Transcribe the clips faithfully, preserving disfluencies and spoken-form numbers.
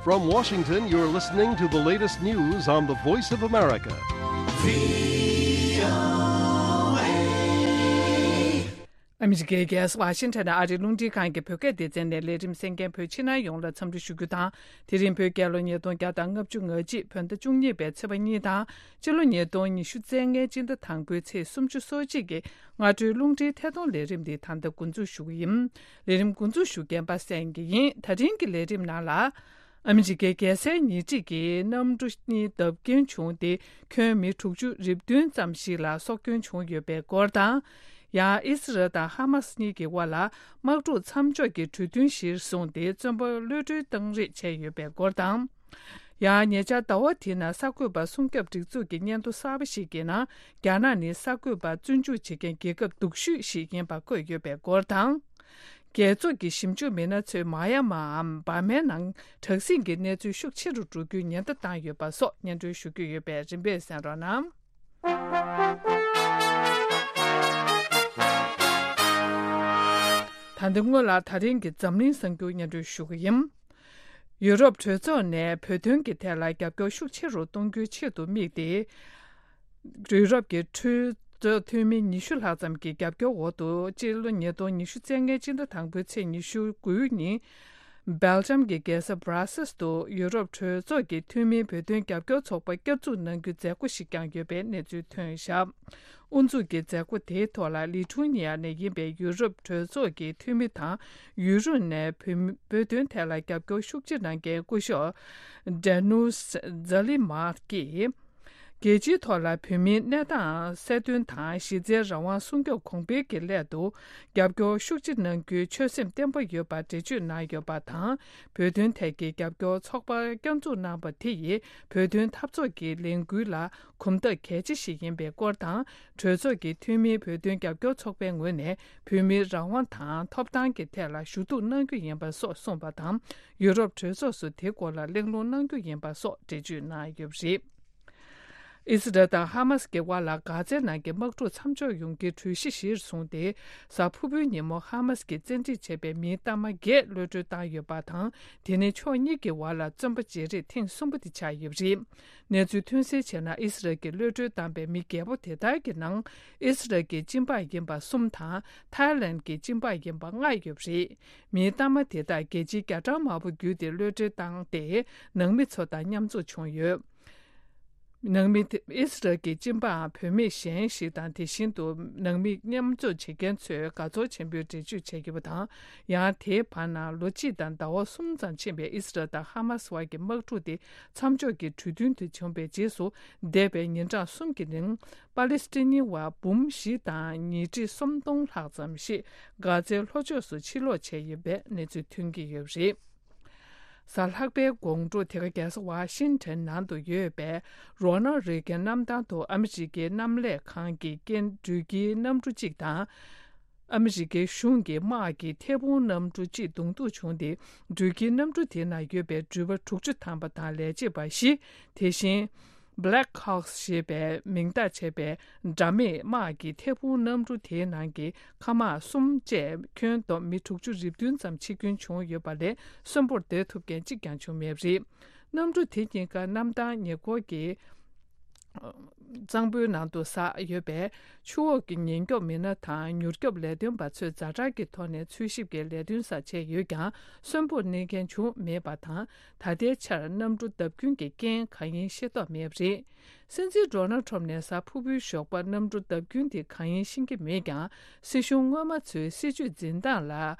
From Washington, you're listening to the latest news on the Voice of America. ཨ་མི་རི་ཀའི་རྒྱལ་ས་ཝ་ཤིང་ཊོན་ཨ་རིའི་རླུང་འཕྲིན་ཁང་གི་བོད་སྐད་སྡེ་ཚན་ནས་ལས་རིམ་གསན་མཁན་བོད་ཕྱི་ནང་ཡོངས་ལ་འཚམས་འདྲི་ཞུ་རྒྱུ་དང་། དེ་རིང་བོད་རྒྱལ་ལོ་ཉིས་སྟོང་བརྒྱ་དང་ལྔ་བཅུ་ང་གཅིག་བོད་ཟླ་བཅུ་གཉིས་པའི་ཚེས་པ་གཉིས་དང་། སྤྱི་ལོ་ཉིས་སྟོང་ཉི་ཤུ་རྩ་ལྔའི་སྤྱི་ཟླ་དང་པོའི་ཚེས་སུམ་ཅུ་སོ་གཅིག་གི་སྔ་དྲོའི་རླུང་འཕྲིན་ཐད་གཏོང་ལས་རིམ་འདི་ད་ལྟ་འགོ་འཛུགས་ཞུ་གི་ཡིན། ལས་རིམ་འགོ་འཛུགས་ཞུ་མཁན་པ་སངས་སྐྱིད་ཡིན། ད་རིང་གི་ལས་རིམ་ནང་ལ། ཨ་མི་རི་ཀའི་རྒྱལ་སའི་ཉེ་འཁྲིས་ཀྱི་གནམ་གྲུ་གཉིས་བརྡབ་སྐྱོན་བྱུང་སྟེ། ཁྱོན་མི་དྲུག་ཅུ་རེ་བདུན་ཙམ་ཞིག་ལ་སྲོག་སྐྱོན་བྱུང་ཡོད་པའི་སྐོར་དང་། ཡང་ཨི་སི་རལ་དང་ཧ་མ་སི་གཉིས་ཀྱི་དབར་ལ་དམག་འཁྲུག་མཚམས་འཇོག་གི་གྲོས་མཐུན་གཞིར་བཟུང་སྟེ། བཙོན་པ་གློད་གྲོལ་བཏང་རེས་བྱས་ཡོད་པའི་སྐོར་དང་། ཡང་ཉེ་ཆར་ཟླ་བ་འདིའི་ནང་གསར་འགོད་པ་སྲུང་སྐྱོབ་སྒྲིག་འཛུགས་ཀྱི་སྙན་ཐོ་གསར་པ་ཞིག་གི་ནང་། རྒྱ་ནག་ནི་གསར་འགོད་པར་བཙོན་འཇུག་བྱེད་མཁན་རྒྱལ་ཁབ་སྡུག་ཤོས་ཤིག་ཡིན་པ་བཀོད་ཡོད་པའི་སྐོར་དང་། རྒྱལ་ཚོགས་ཀྱི་ཞིབ་འཇུག་མི་སྣ་ཚོས་མ་ཡ་མའམ་འབར་མའི་ནང་དྲག་ཟིང་གི་གནས་ཚུལ་ཤུགས་ཆེ་རུ་འགྲོ་རྒྱུའི་ཉེན་བརྡ་བཏང་ཡོད་པ་སོགས་སྙན་སྒྲོན་ཞུ་རྒྱུ་ཡོད་པས། རིམ་པས་གསན་རོགས་གནང་། ད་ལྟ་སྔོན་ལ་ད་རིང་གི་འཛམ་གླིང་གསར་འགྱུར་སྙན་སྒྲོན་ཞུ་གི་ཡིན། ཡུ་རོབ་གྲོས་ཚོགས་ནས་བོད་དོན་གྱི་ཐད་ལ་རྒྱབ་སྐྱོར་ཤུགས་ཆེ་རུ་གཏོང་རྒྱུའི་ཆེད་དུ་དམིགས་ཏེ། ཡུ་རོབ་ཀྱི་གྲོས་ཚོགས་འཐུས་མི་ཉི་ཤུ་ལྷག་ཙམ་གྱི་རྒྱབ་སྐྱོར་འོག་ཏུ། སྤྱི་ལོ་ཉིས་སྟོང་ཉི་ཤུ་རྩ་ལྔའི་སྤྱི་ཟླ་དང་པོའི་ཚེས་ཉི་ཤུ་དགུའི་ཉིན། སྦེལ་ཇམ་གྱི་རྒྱལ་ས་བྷ་ར་སེལ་དུ་ཡུ་རོབ་གྲོས་ཚོགས་ཀྱི་འཐུས་མིའི་བོད་དོན་རྒྱབ་སྐྱོར་ཚོགས་པ་བསྐྱར་འཛུགས་གནང་རྒྱུའི་མཛད་སྒོ་ཞིག་བསྐྱངས་ཡོད་པའི་གནས་ཚུལ་ཐོན་བཞག་དབུ་འཛུགས་ཀྱི་མཛད་སྒོ་དེའི་ཐོག་ལ་ལི་ཐུ་ནི་ཡ་ནས་ཡིན་པའི་ཡུ་རོབ་གྲོས་ཚོགས་ཀྱི་འཐུས་མི་དང་། ཡུ་རོབ་ནས་བོད་མི་བོད་དོན་ཐད་ལ་རྒྱབ་སྐྱོར་ཤུགས་ཆེ་གནང་མཁན་སྐུ་ཞབས་ཌེ་ནུས་ཛ་ལི་མཱ་ཀྱིས། རྒྱལ་སྤྱིའི་ཐོག་ལ་བོད་མིའི་གནས་སྟངས་གསལ་སྟོན་དང་། གཞི་རྩའི་རང་དབང་སྲུང་སྐྱོབ་གོང་འཕེལ་གྱི་སླད་དུ་རྒྱབ་སྐྱོར་ཤུགས་ཆེ་གནང་རྒྱུའི་ཆོད་སེམས་བརྟན་པོ་ཡོད་པ་འགྲེལ་བརྗོད་གནང་ཡོད་པ་དང་། བོད་དོན་ཐད་ཀྱི་རྒྱབ་སྐྱོར་ཚོགས་པ་བསྐྱར་འཛུགས་གནང་པ་དེ་ཡིས་བོད་དོན་འཐབ་རྩོད་ཀྱི་ལས་འགུལ་ལ་གོམ་སྟབས་གལ་ཆེ་ཞིག་ཡིན་པའི་སྐོར་དང་། གྲོས་ཚོགས་ཀྱི་འཐུས་མིའི་བོད་དོན་རྒྱབ་སྐྱོར་ཚོགས་པའི་ངོས་ནས་བོད་མིའི་རང་དབང་དང་ཐོབ་ཐང་གི་ཐད་ལ་ཞུ་གཏུག་གནང་རྒྱུ་ཡིན་པ་སོགས་གསུངས་པ་དང་། ཡུ་རོབ་གྲོས་ཚོགས་སུ་དེ་སྐོར་ལ་གླེང་སློང་གནང་རྒྱུ་ཡིན་པ་སོགས་འགྲེལ་བརྗོད་གནང་ཡོད་པ་རེད། ཨི་སི་རལ་དང་ཧ་མ་སི་གི་དབར་ལ་གྷ་ཛའི་ནང་གི་དམག་འཁྲུག་མཚམས་འཇོག་ཡོང་རྒྱུའི་གྲོས་གཞི་གཞིར་བཟུང་སྟེ། གཟའ་ཕུར་བུའི་ཉིན་མོ་ཧ་མ་སི་གིས་བཙན་ཁྲིད་བྱས་པའི་མིའི་གཏའ་མ་བརྒྱད་གློད་གྲོལ་བཏང་ཡོད་པ་དང་། དེ་ནི་ཕྱོགས་གཉིས་ཀྱི་བར་ལ་བཙོན་པ་བརྗེ་རེས་ཐེངས་གསུམ་པ་དེ་ཆགས་ཡོད་པ་རེད། གནས་ཚུལ་ཐོན་གསལ་བྱས་ན། ཨི་སི་རལ་གྱིས་གློད་གྲོལ་བཏང་པའི་མི་བརྒྱད་པོ་དེ་དག་གི་ནང་ཨི་སི་རལ་གྱི་སྤྱི་འབངས་ཡིན་པ་གསུམ་དང་། ཐའི་ལན་གྱི་སྤྱི་འབངས་ཡིན་པ་ལྔ་ཡོད་པ་རེད། མིའི་གཏའ་མ་དེ་དག་རྒྱལ་སྤྱིའི་རྒྱ་གྲམ་དམར་པོ་བརྒྱུད་དེ་གློད་གྲོལ་བཏང་སྟེ། ནང་མི་ཚོ་དང་མཉམ་འཛོམས་བྱུང་ཡོད། ནང་མི་དེ་ཨི་སི་རལ་གྱི་སྤྱི་འབངས་བུད་མེད་གཞན་ཞིག་དང་། དེ་བཞིན་དུ་ནང་མི་མཉམ་འཛོམས་བྱེད་མཁན་ཚོས་དགའ་ཚོར་ཆེན་པོས་འགྲེལ་བརྗོད་བྱས་ཡོད་པ་དང་། ཡང་དེའི་བར་ན་ལོ་གཅིག་དང་ཟླ་བ་གསུམ་ཙམ་ཕྱིན་པའི་ཨི་སི་རལ་དང་ཧ་མ་སི་བར་གྱི་དམག་འཁྲུག་དེ་མཚམས་འཇོག་གི་གྲོས་མཐུན་དེ་བྱུང་བའི་རྗེས་སུ། འདས་པའི་ཉིན་གྲངས་གསུམ་གྱི་རིང་། པ་ལི་སི་ཐན་བ་འབུམ་བཞི་དང་ཉིས་ཁྲི་སུམ་སྟོང་ལྷག་ཙམ་ཞིག་གྷ་ཛའི་ལྷོ་ཕྱོགས་སུ་ཕྱིར་ལོག་བྱས་ཡོད་པའི་གནས་ཚུལ་ཐོན་གྱི་ཡོད་པ་རེད། གཟའ་ལྷག་པའི་དགོང་དྲོ། དེ་ག་རྒྱལ་ས་ཝ་ཤིང་ཊོན་ནང་དུ་ཡོད་པའི་རོ་ནལ་རེ་གན་གནམ་ཐང་དུ་ཨ་མི་རི་ཀའི་གནམ་ལས་ཁང་གི་སྐྱེལ་འགྲུལ་གྱི་གནམ་གྲུ་གཅིག་དང་། ཨ་མི་རི་ཀའི་གཞུང་གི་དམག་གི་ཐད་འཕུར་གནམ་གྲུ་གཅིག་གདོང་ཐུག་བྱུང་སྟེ། འགྲུལ་གྱི་གནམ་གྲུ་དེའི་ནང་ཡོད་པའི་འགྲུལ་པ་དྲུག་ཅུ་ཐམ་པ་དང་ལས་བྱེད་པ་བཞི། དེ་བཞིན། Black Hawks ཞེས་པའི་མིང་བཏགས་བྱས་པའི་དགྲ་མེད་དམག་གི་ཐད་འཕུར་གནམ་གྲུ་དེའི་ནང་གི་མཁའ་དམག་གསུམ་བཅས་ཁྱོན་བསྡོམས་མི་དྲུག་ཅུ་རེ་བདུན་ཙམ་འཆི་སྐྱོན་བྱུང་ཡོད་པ་ལས། གསོན་པོར་སྡོད་ཐུབ་མཁན་གཅིག་ཀྱང་བྱུང་མེད་པ་རེད། གནམ་གྲུ་དེ་གཉིས་ཀ་གནམ་ཐང་ཉེ་འཁོར་གྱི་གཙང་པོའི་ནང་དུ་ཟགས་ཡོད་པས། ཆུ་འོག་གི་ཉེན་སྐྱོབ་མི་སྣ་དང་མྱུར་སྐྱོབ་ལས་དོན་པ་ཚོས་ཛ་དྲག་གི་ཐོག་ནས་འཚོལ་ཞིབ་ཀྱི་ལས་དོན་ས་བྱས་ཡོད་ཀྱང་། གསོན་པོར་གནས་མཁན་བྱུང་མེད་པ་དང་། ད་ལྟའི་ཆར་གནམ་གྲུ་བརྡབ་སྐྱོན་གྱི་རྐྱེན་གང་ཡིན་ཤེས་རྟོགས་མེད་པ་རེད། སྲིད་འཛིན་ཌོ་ནལ་ཁྲོམ་ནས་གཟའ་ཕུར་བུའི་ཞོགས་པར་གནམ་གྲུ་བརྡབ་སྐྱོན་དེ་གང་ཡིན་ཤེས་ཀྱི་མེད་ཀྱང་། སྲིད་གཞུང་སྔོན་མ་ཚོའི་སྲིད་ཇུས་འཛིན་སྟངས་ལ་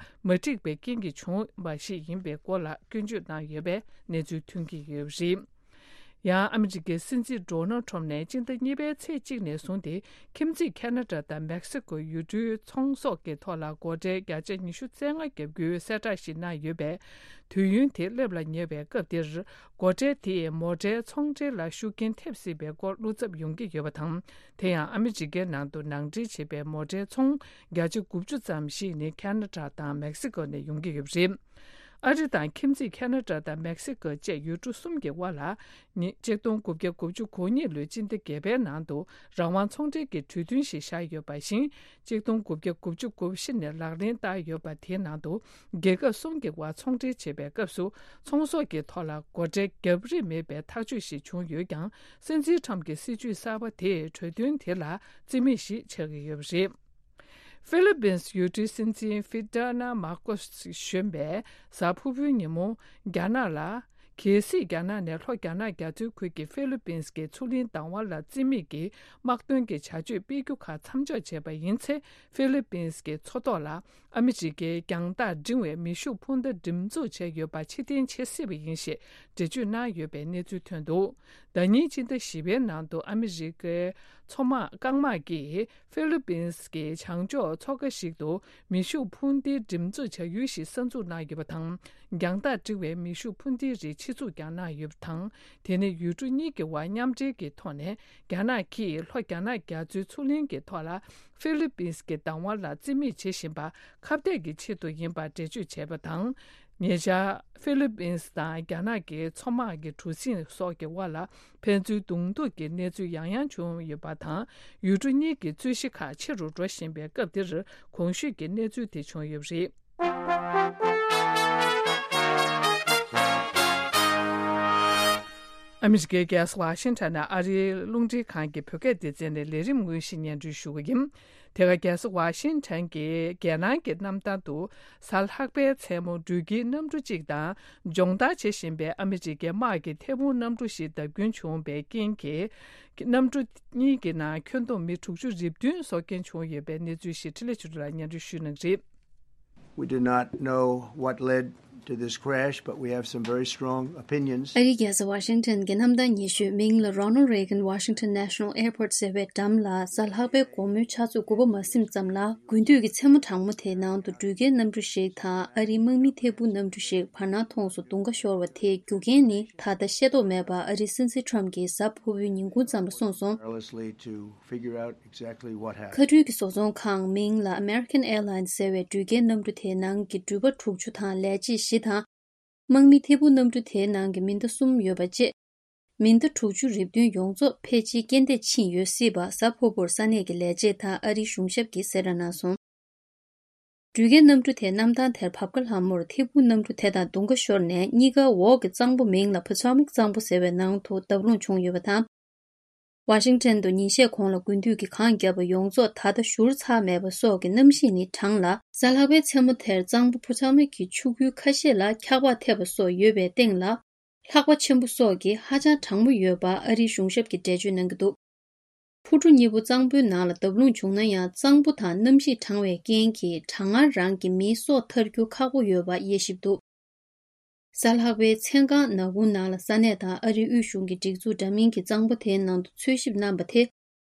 མ་འགྲིག་པའི་རྐྱེན་གྱིས་བྱུང་བ་ཞིག་ཡིན་པའི་སྐོར་ལ་སྐྱོན་བརྗོད་གནང་ཡོད་པའི་གནས་ཚུལ་ཐོན་གྱི་ཡོད་པ་རེད། ཡང་ཨ་མི་རི་ཀའི་སྲིད་འཛིན་ཌོ་ནལ་ཁྲོམ་ནས་སྤྱི་ཟླ་གཉིས་པའི་ཚེས་གཅིག་ནས་བཟུང་སྟེ། ཁྱིམ་མཚེས་ཁ་ན་ཌ་དང་མེག་སི་ཀོ་ཡུལ་གྲུའི་ཚོང་ཟོག་གི་ཐོག་ལ་སྒོ་ཁྲལ་བརྒྱ་ཆ་ཉི་ཤུ་རྩ་ལྔ་བརྒྱབ་རྒྱུའི་གསལ་བསྒྲགས་ཤིག་གནང་ཡོད་པས། དུས་ཡུན་དེ་སླེབས་ལ་ཉེ་བའི་སྐབས་འདིར། སྒོ་ཁྲལ་དེས་མོ་ཊའི་ཚོང་འབྲེལ་ལ་ཤུགས་རྐྱེན་ཐེབས་སྲིད་པའི་སྐོར་བློ་འཚབ་ཡོང་གི་ཡོད་པ་དང་། དེ་ཡང་ཨ་མི་རི་ཀའི་ནང་དུ་ནང་འདྲེན་བྱས་པའི་མོ་ཊའི་ཚོང་བརྒྱ་ཆ་དགུ་བཅུ་ཙམ་ཞིག་ནི་ཁ་ན་ཌ་དང་མེག་སི་ཀོ་ནས་ཡོང་གི་ཡོད་པ་རེད། ཨ་རི་དང་ཁྱིམ་མཚེས་ཁ་ན་ཌ་དང་མེག་སི་ཀོ་བཅས་ཡུལ་གྲུ་གསུམ་གྱི་དབར་ལ། ཉིས་གཅིག་སྟོང་དགུ་བརྒྱ་དགུ་བཅུ་གོ་གཉིས་ལོའི་སྤྱི་ཟླ་བརྒྱད་པའི་ནང་དུ་རང་དབང་ཚོང་འབྲེལ་གྱི་གྲོས་མཐུན་ཞིག་བཞག་ཡོད་པ་བཞིན། གཅིག་སྟོང་དགུ་བརྒྱ་དགུ་བཅུ་གོ་བཞི་ནས་ལག་ལེན་བསྟར་ཡོད་པ་དེའི་ནང་དུ། རྒྱལ་ཁབ་གསུམ་གྱི་དབར་ཚོང་འབྲེལ་བྱེད་པའི་སྐབས་སུ་ཚོང་ཟོག་གི་ཐོག་ལ་སྒོ་ཁྲལ་བརྒྱབ་རིན་མེད་པའི་ཐག་གཅོད་ཞིག་བྱུང་ཡོད་ཀྱང་། སྲིད་འཛིན་ཁྲམ་གྱི་སྲིད་བྱུས་གསར་པ་དེས་གྲོས་མཐུན་དེ་ལ་རྩིས་མེད་ཞིག་ཆགས་ཀྱི་ཡོད་པ་རེད། ཧྥི་ལི་པིན་སི་ཡུལ་གྲུའི་སྲིད་འཛིན་ཧྥི་ཏྲ་ན་མཱ་ཀོ་སི་གཞོན་པས་གཟའ་ཕུར་བུའི་ཉིན་མོ་རྒྱ་ནག་ལ། གལ་སྲིད་རྒྱ་ནག་ནས་ལྷོ་རྒྱ་ནག་རྒྱ་མཚོའི་ཁུལ་གྱི་ཧྥི་ལི་པིན་སི་གི་མཚོ་གླིང་བདག་དབང་ལ་རྩིས་མེད་ཀྱི་དམག་དོན་གྱི་བྱ་སྤྱོད་སྤེལ་རྒྱུ་ཁག་མཚམས་འཇོག་བྱས་པ་ཡིན་ཚེ། ཧྥི་ལི་པིན་སི་གི་མཚོ་ཐོག་ལ་ཨ་མི་རི་ཀའི་རྒྱང་ཐག་འབྲིང་བའི་མེ་ཤུགས་འཕུར་མདའ་འགྲེམས་འཛུགས་བྱས་ཡོད་པ་ཕྱིར་འཐེན་བྱེད་སྲིད་པ་ཡིན་ཞེས་འགྲེལ་བརྗོད་གནང་ཡོད་པའི་གནས་ཚུལ་ཐོན་འདུག་ཟླ་ཉིན་ཕྱི་ཟླ་བཞི་པའི་ནང་དུ་ཨ་མི་རི་ཀའི་མཚོ་དམག་རྐང་དམག་གིས། ཧྥི་ལི་པིན་སི་གི་བྱང་ཕྱོགས་མཚོ་ཁ་ཞིག་ཏུ་མེ་ཤུགས་འཕུར་མདའི་འགྲེམས་འཛུགས་བྱ་ཡུལ་ཞིག་གསར་འཛུགས་གནང་ཡོད་པ་དང་། རྒྱང་ཐག་འབྲིང་བའི་མེ་ཤུགས་འཕུར་མདའི་རིགས་ཆེད་འཛུགས་ཀྱང་གནང་ཡོད་པ་དང་། དེ་ནི་ཡུལ་གྲུ་གཉིས་ཀྱི་དབར་མཉམ་འབྲེལ་གྱི་ཐོག་ནས་རྒྱ་ནག་གིས་ལྷོ་རྒྱ་ནག་རྒྱ་མཚོའི་མཚོ་གླིང་གི་ཐོག་ལ་ཧྥི་ལི་པིན་སི་གི་བདག་དབང་ལ་རྩིས་མེད་བྱེད་བཞིན་པ་ཁ་གཏད་ཀྱི་ཆེད་དུ་ཡིན་པར་འགྲེལ་བརྗོད་བྱས་པ་དང་། ཉེ་ཆར་ཧྥི་ལི་པིན་སི་དང་རྒྱ་ནག་གི་མཚོ་དམག་གི་གྲུ་གཟིངས་སོགས་ཀྱི་དབར་ལ། ཕན་ཚུན་གདོང་ཐུག་གི་གནས་ཚུལ་ཡང་ཡང་བྱུང་ཡོད་པ་དང་། ཡུལ་གྲུ་གཉིས་ཀྱི་རྩོད་གཞི་ཁག་ཆེ་རུ་འགྲོ་བཞིན་པའི་སྐབས་འདིར་གོང་ཞུས་ཀྱི་གནས་ཚུལ་དེ་བྱུང་ཡོད་པ་རེད། ཨ་མི་རི་ཀའི་རྒྱལ་ས་ཝ་ཤིང་ཊོན་ནས་ཨ་རིའི་རླུང་འཕྲིན་ཁང་གི་བོད་སྐད་སྡེ་ཚན་ནས་ལས་རིམ་དངོས་གཞི་སྙན་སྒྲོན་ཞུ་གི་ཡིན། དེ་ག་རྒྱལ་ས་ཝ་ཤིང་ཊོན་གྱི་རྒྱལ་ནང་གི་གནམ་ཐང་དུ་གཟའ་ལྷག་པའི་མཚན་མོ་འགྲུལ་སྐྱེལ་གནམ་གྲུ་གཅིག་དང་། སྦྱོང་བརྡར་བྱེད་བཞིན་པའི་ཨ་མི་རི་ཀའི་དམག་གི་ཐད་འཕུར་གནམ་གྲུ་ཞིག་བརྡབ་སྐྱོན་བྱུང་བའི་རྐྱེན་གྱིས། གནམ་གྲུ་གཉིས་ཀྱི་ནང་ཁྱོན་བསྡོམས་མི་དྲུག་ཅུ་རེ་བདུན་སྲོག་སྐྱོན་བྱུང་ཡོད་པའི་གནས་ཚུལ་ཞིག་འཕྲིན་ལས་ཆོས་སྒྲོན་ལགས་སྙན་སྒྲོན་ཞུ་གནང་གི་རེད། We do not know what led to this crash, but we have some very strong opinions. ཨ་རིའི་རྒྱལ་ས་ཝ་ཤིང་ཊོན་གྱི་གནམ་ཐང་ཉེ་ཤོས་མིང་ལ་Ronald Reagan Washington National Airport ཟེར་བའི་འགྲམ་ལ་གཟའ་ལྷག་པའི་དགོང་མོའི་ཆུ་ཚོད་དགུ་པ་མ་ཟིན་ཙམ་ལ་དགུན་དུས་ཀྱི་མཚན་མོ་གྲང་མོ་དེའི་ནང་དུ་འགྲུལ་སྐྱེལ་གནམ་གྲུ་ཞིག་དང་ཨ་རིའི་དམག་མི་ཐད་འཕུར་གནམ་གྲུ་ཞིག་བར་སྣང་མཐོངས་སུ་རྡུང་ཁ་ཤོར་བ་དེའི་རྒྱུ་རྐྱེན་ནི་ད་ལྟ་ཤེས་རྟོགས་མེད་པར་ཨ་རིའི་སྲིད་འཛིན་ཁྲོམ་གྱིས་གཟའ་ཕུར་བུའི་ཉིན་གུང་ཙམ་ལ་གསུངས་སོང་། Carelessly to figure out exactly what happened. མཁའ་འགྲུལ་གྱི་བཟོ་ཚོང་ཁང་མིང་ལ་American Airlines ཟེར་བའི་འགྲུལ་སྐྱེལ་གནམ་གྲུ་དེའི་ནང་གི་འགྲུལ་པ་དྲུག་ཅུ་དང་ལས་བྱེད་བཞི་དང་། དམག་མི་ཐད་འཕུར་གནམ་གྲུ་དེའི་ནང་གི་མི་ཟླ་གསུམ་ཡོད་པ་བཅས། མི་ཟླ་དྲུག་ཅུ་རེ་བདུན་ཡོངས་རྫོགས་ཕལ་ཆེར་རྐྱེན་འདས་ཕྱིན་ཡོད་སྲིད་པ་གཟའ་ཕུར་བུར་ས་གནས་ཀྱི་ལས་བྱེད་དང་ཨ་རིའི་གཞུང་ཞབས་ཀྱིས་གསལ་བསྒྲགས་གནང་སོང་། འགྲུལ་སྐྱེལ་གནམ་གྲུ་དེ་གནམ་ཐང་དེར་བབས་ཁ་ལྷ་མོར་ཐད་འཕུར་གནམ་གྲུ་དེ་དང་རྡུང་ཁ་ཤོར་ནས་གཉིས་ཀ་འོག་གི་གཙང་པོ་མིང་ལ་Potomac་གཙང་པོ་ཟེར་བའི་ནང་དུ་བརྡབ་ལྷུང་བྱུང་ཡོད་པ་དང་། ཝ་ཤིང་ཊོན་དུ་ཉིན་ཤས་གོང་ལ་དགུན་དུས་ཀྱི་གངས་བརྒྱབ་པ་ཡོངས་རྫོགས་ད་ལྟ་བཞུར་ཚར་མེད་པ་སོགས་ཀྱི་གནམ་གཤིས་ནི་གྲང་ལ། གཟའ་ལྷག་པའི་མཚན་མོ་དེར་གཙང་པོ་Potomac་གི་ཆུ་ཁུལ་ཁ་ཤས་ལ་འཁྱགས་པ་ཐེབས་པ་སོགས་ཡོད་པའི་སྟེང་ལ། ལྷགས་པ་ཆེན་པོ་སོགས་ཀྱིས་ཧ་ཅང་གྲང་མོ་ཡོད་པ་ཨ་རིའི་གཞུང་ཞབས་ཀྱིས་འགྲེལ་བརྗོད་གནང་གི་འདུག་འཕུར་གྲུ་གཉིས་པོ་གཙང་པོའི་ནང་ལ་བརྡབ་ལྷུང་བྱུང་ན་ཡང་། གཙང་པོ་དང་གནམ་གཤིས་གྲང་བའི་རྐྱེན་གྱིས་གྲང་ངར་རང་གི་མིའི་སྲོག་ཐར་རྒྱུ་ཁག་པོ་ཡོད་པ་དབྱེ་ཞིབ་འདུག་གཟའ་ལྷག་པའི་མཚན་གང་ནག་ཁུང་ནང་ལ་ས་གནས་དང་ཨ་རིའི་དབུས་གཞུང་གི་སྒྲིག་འཛུགས་འདྲ་མིན་གྱིས་གཙང་པོ་དེའི་ནང་དུ་འཚོལ་ཞིབ་གནང་པ་དེ་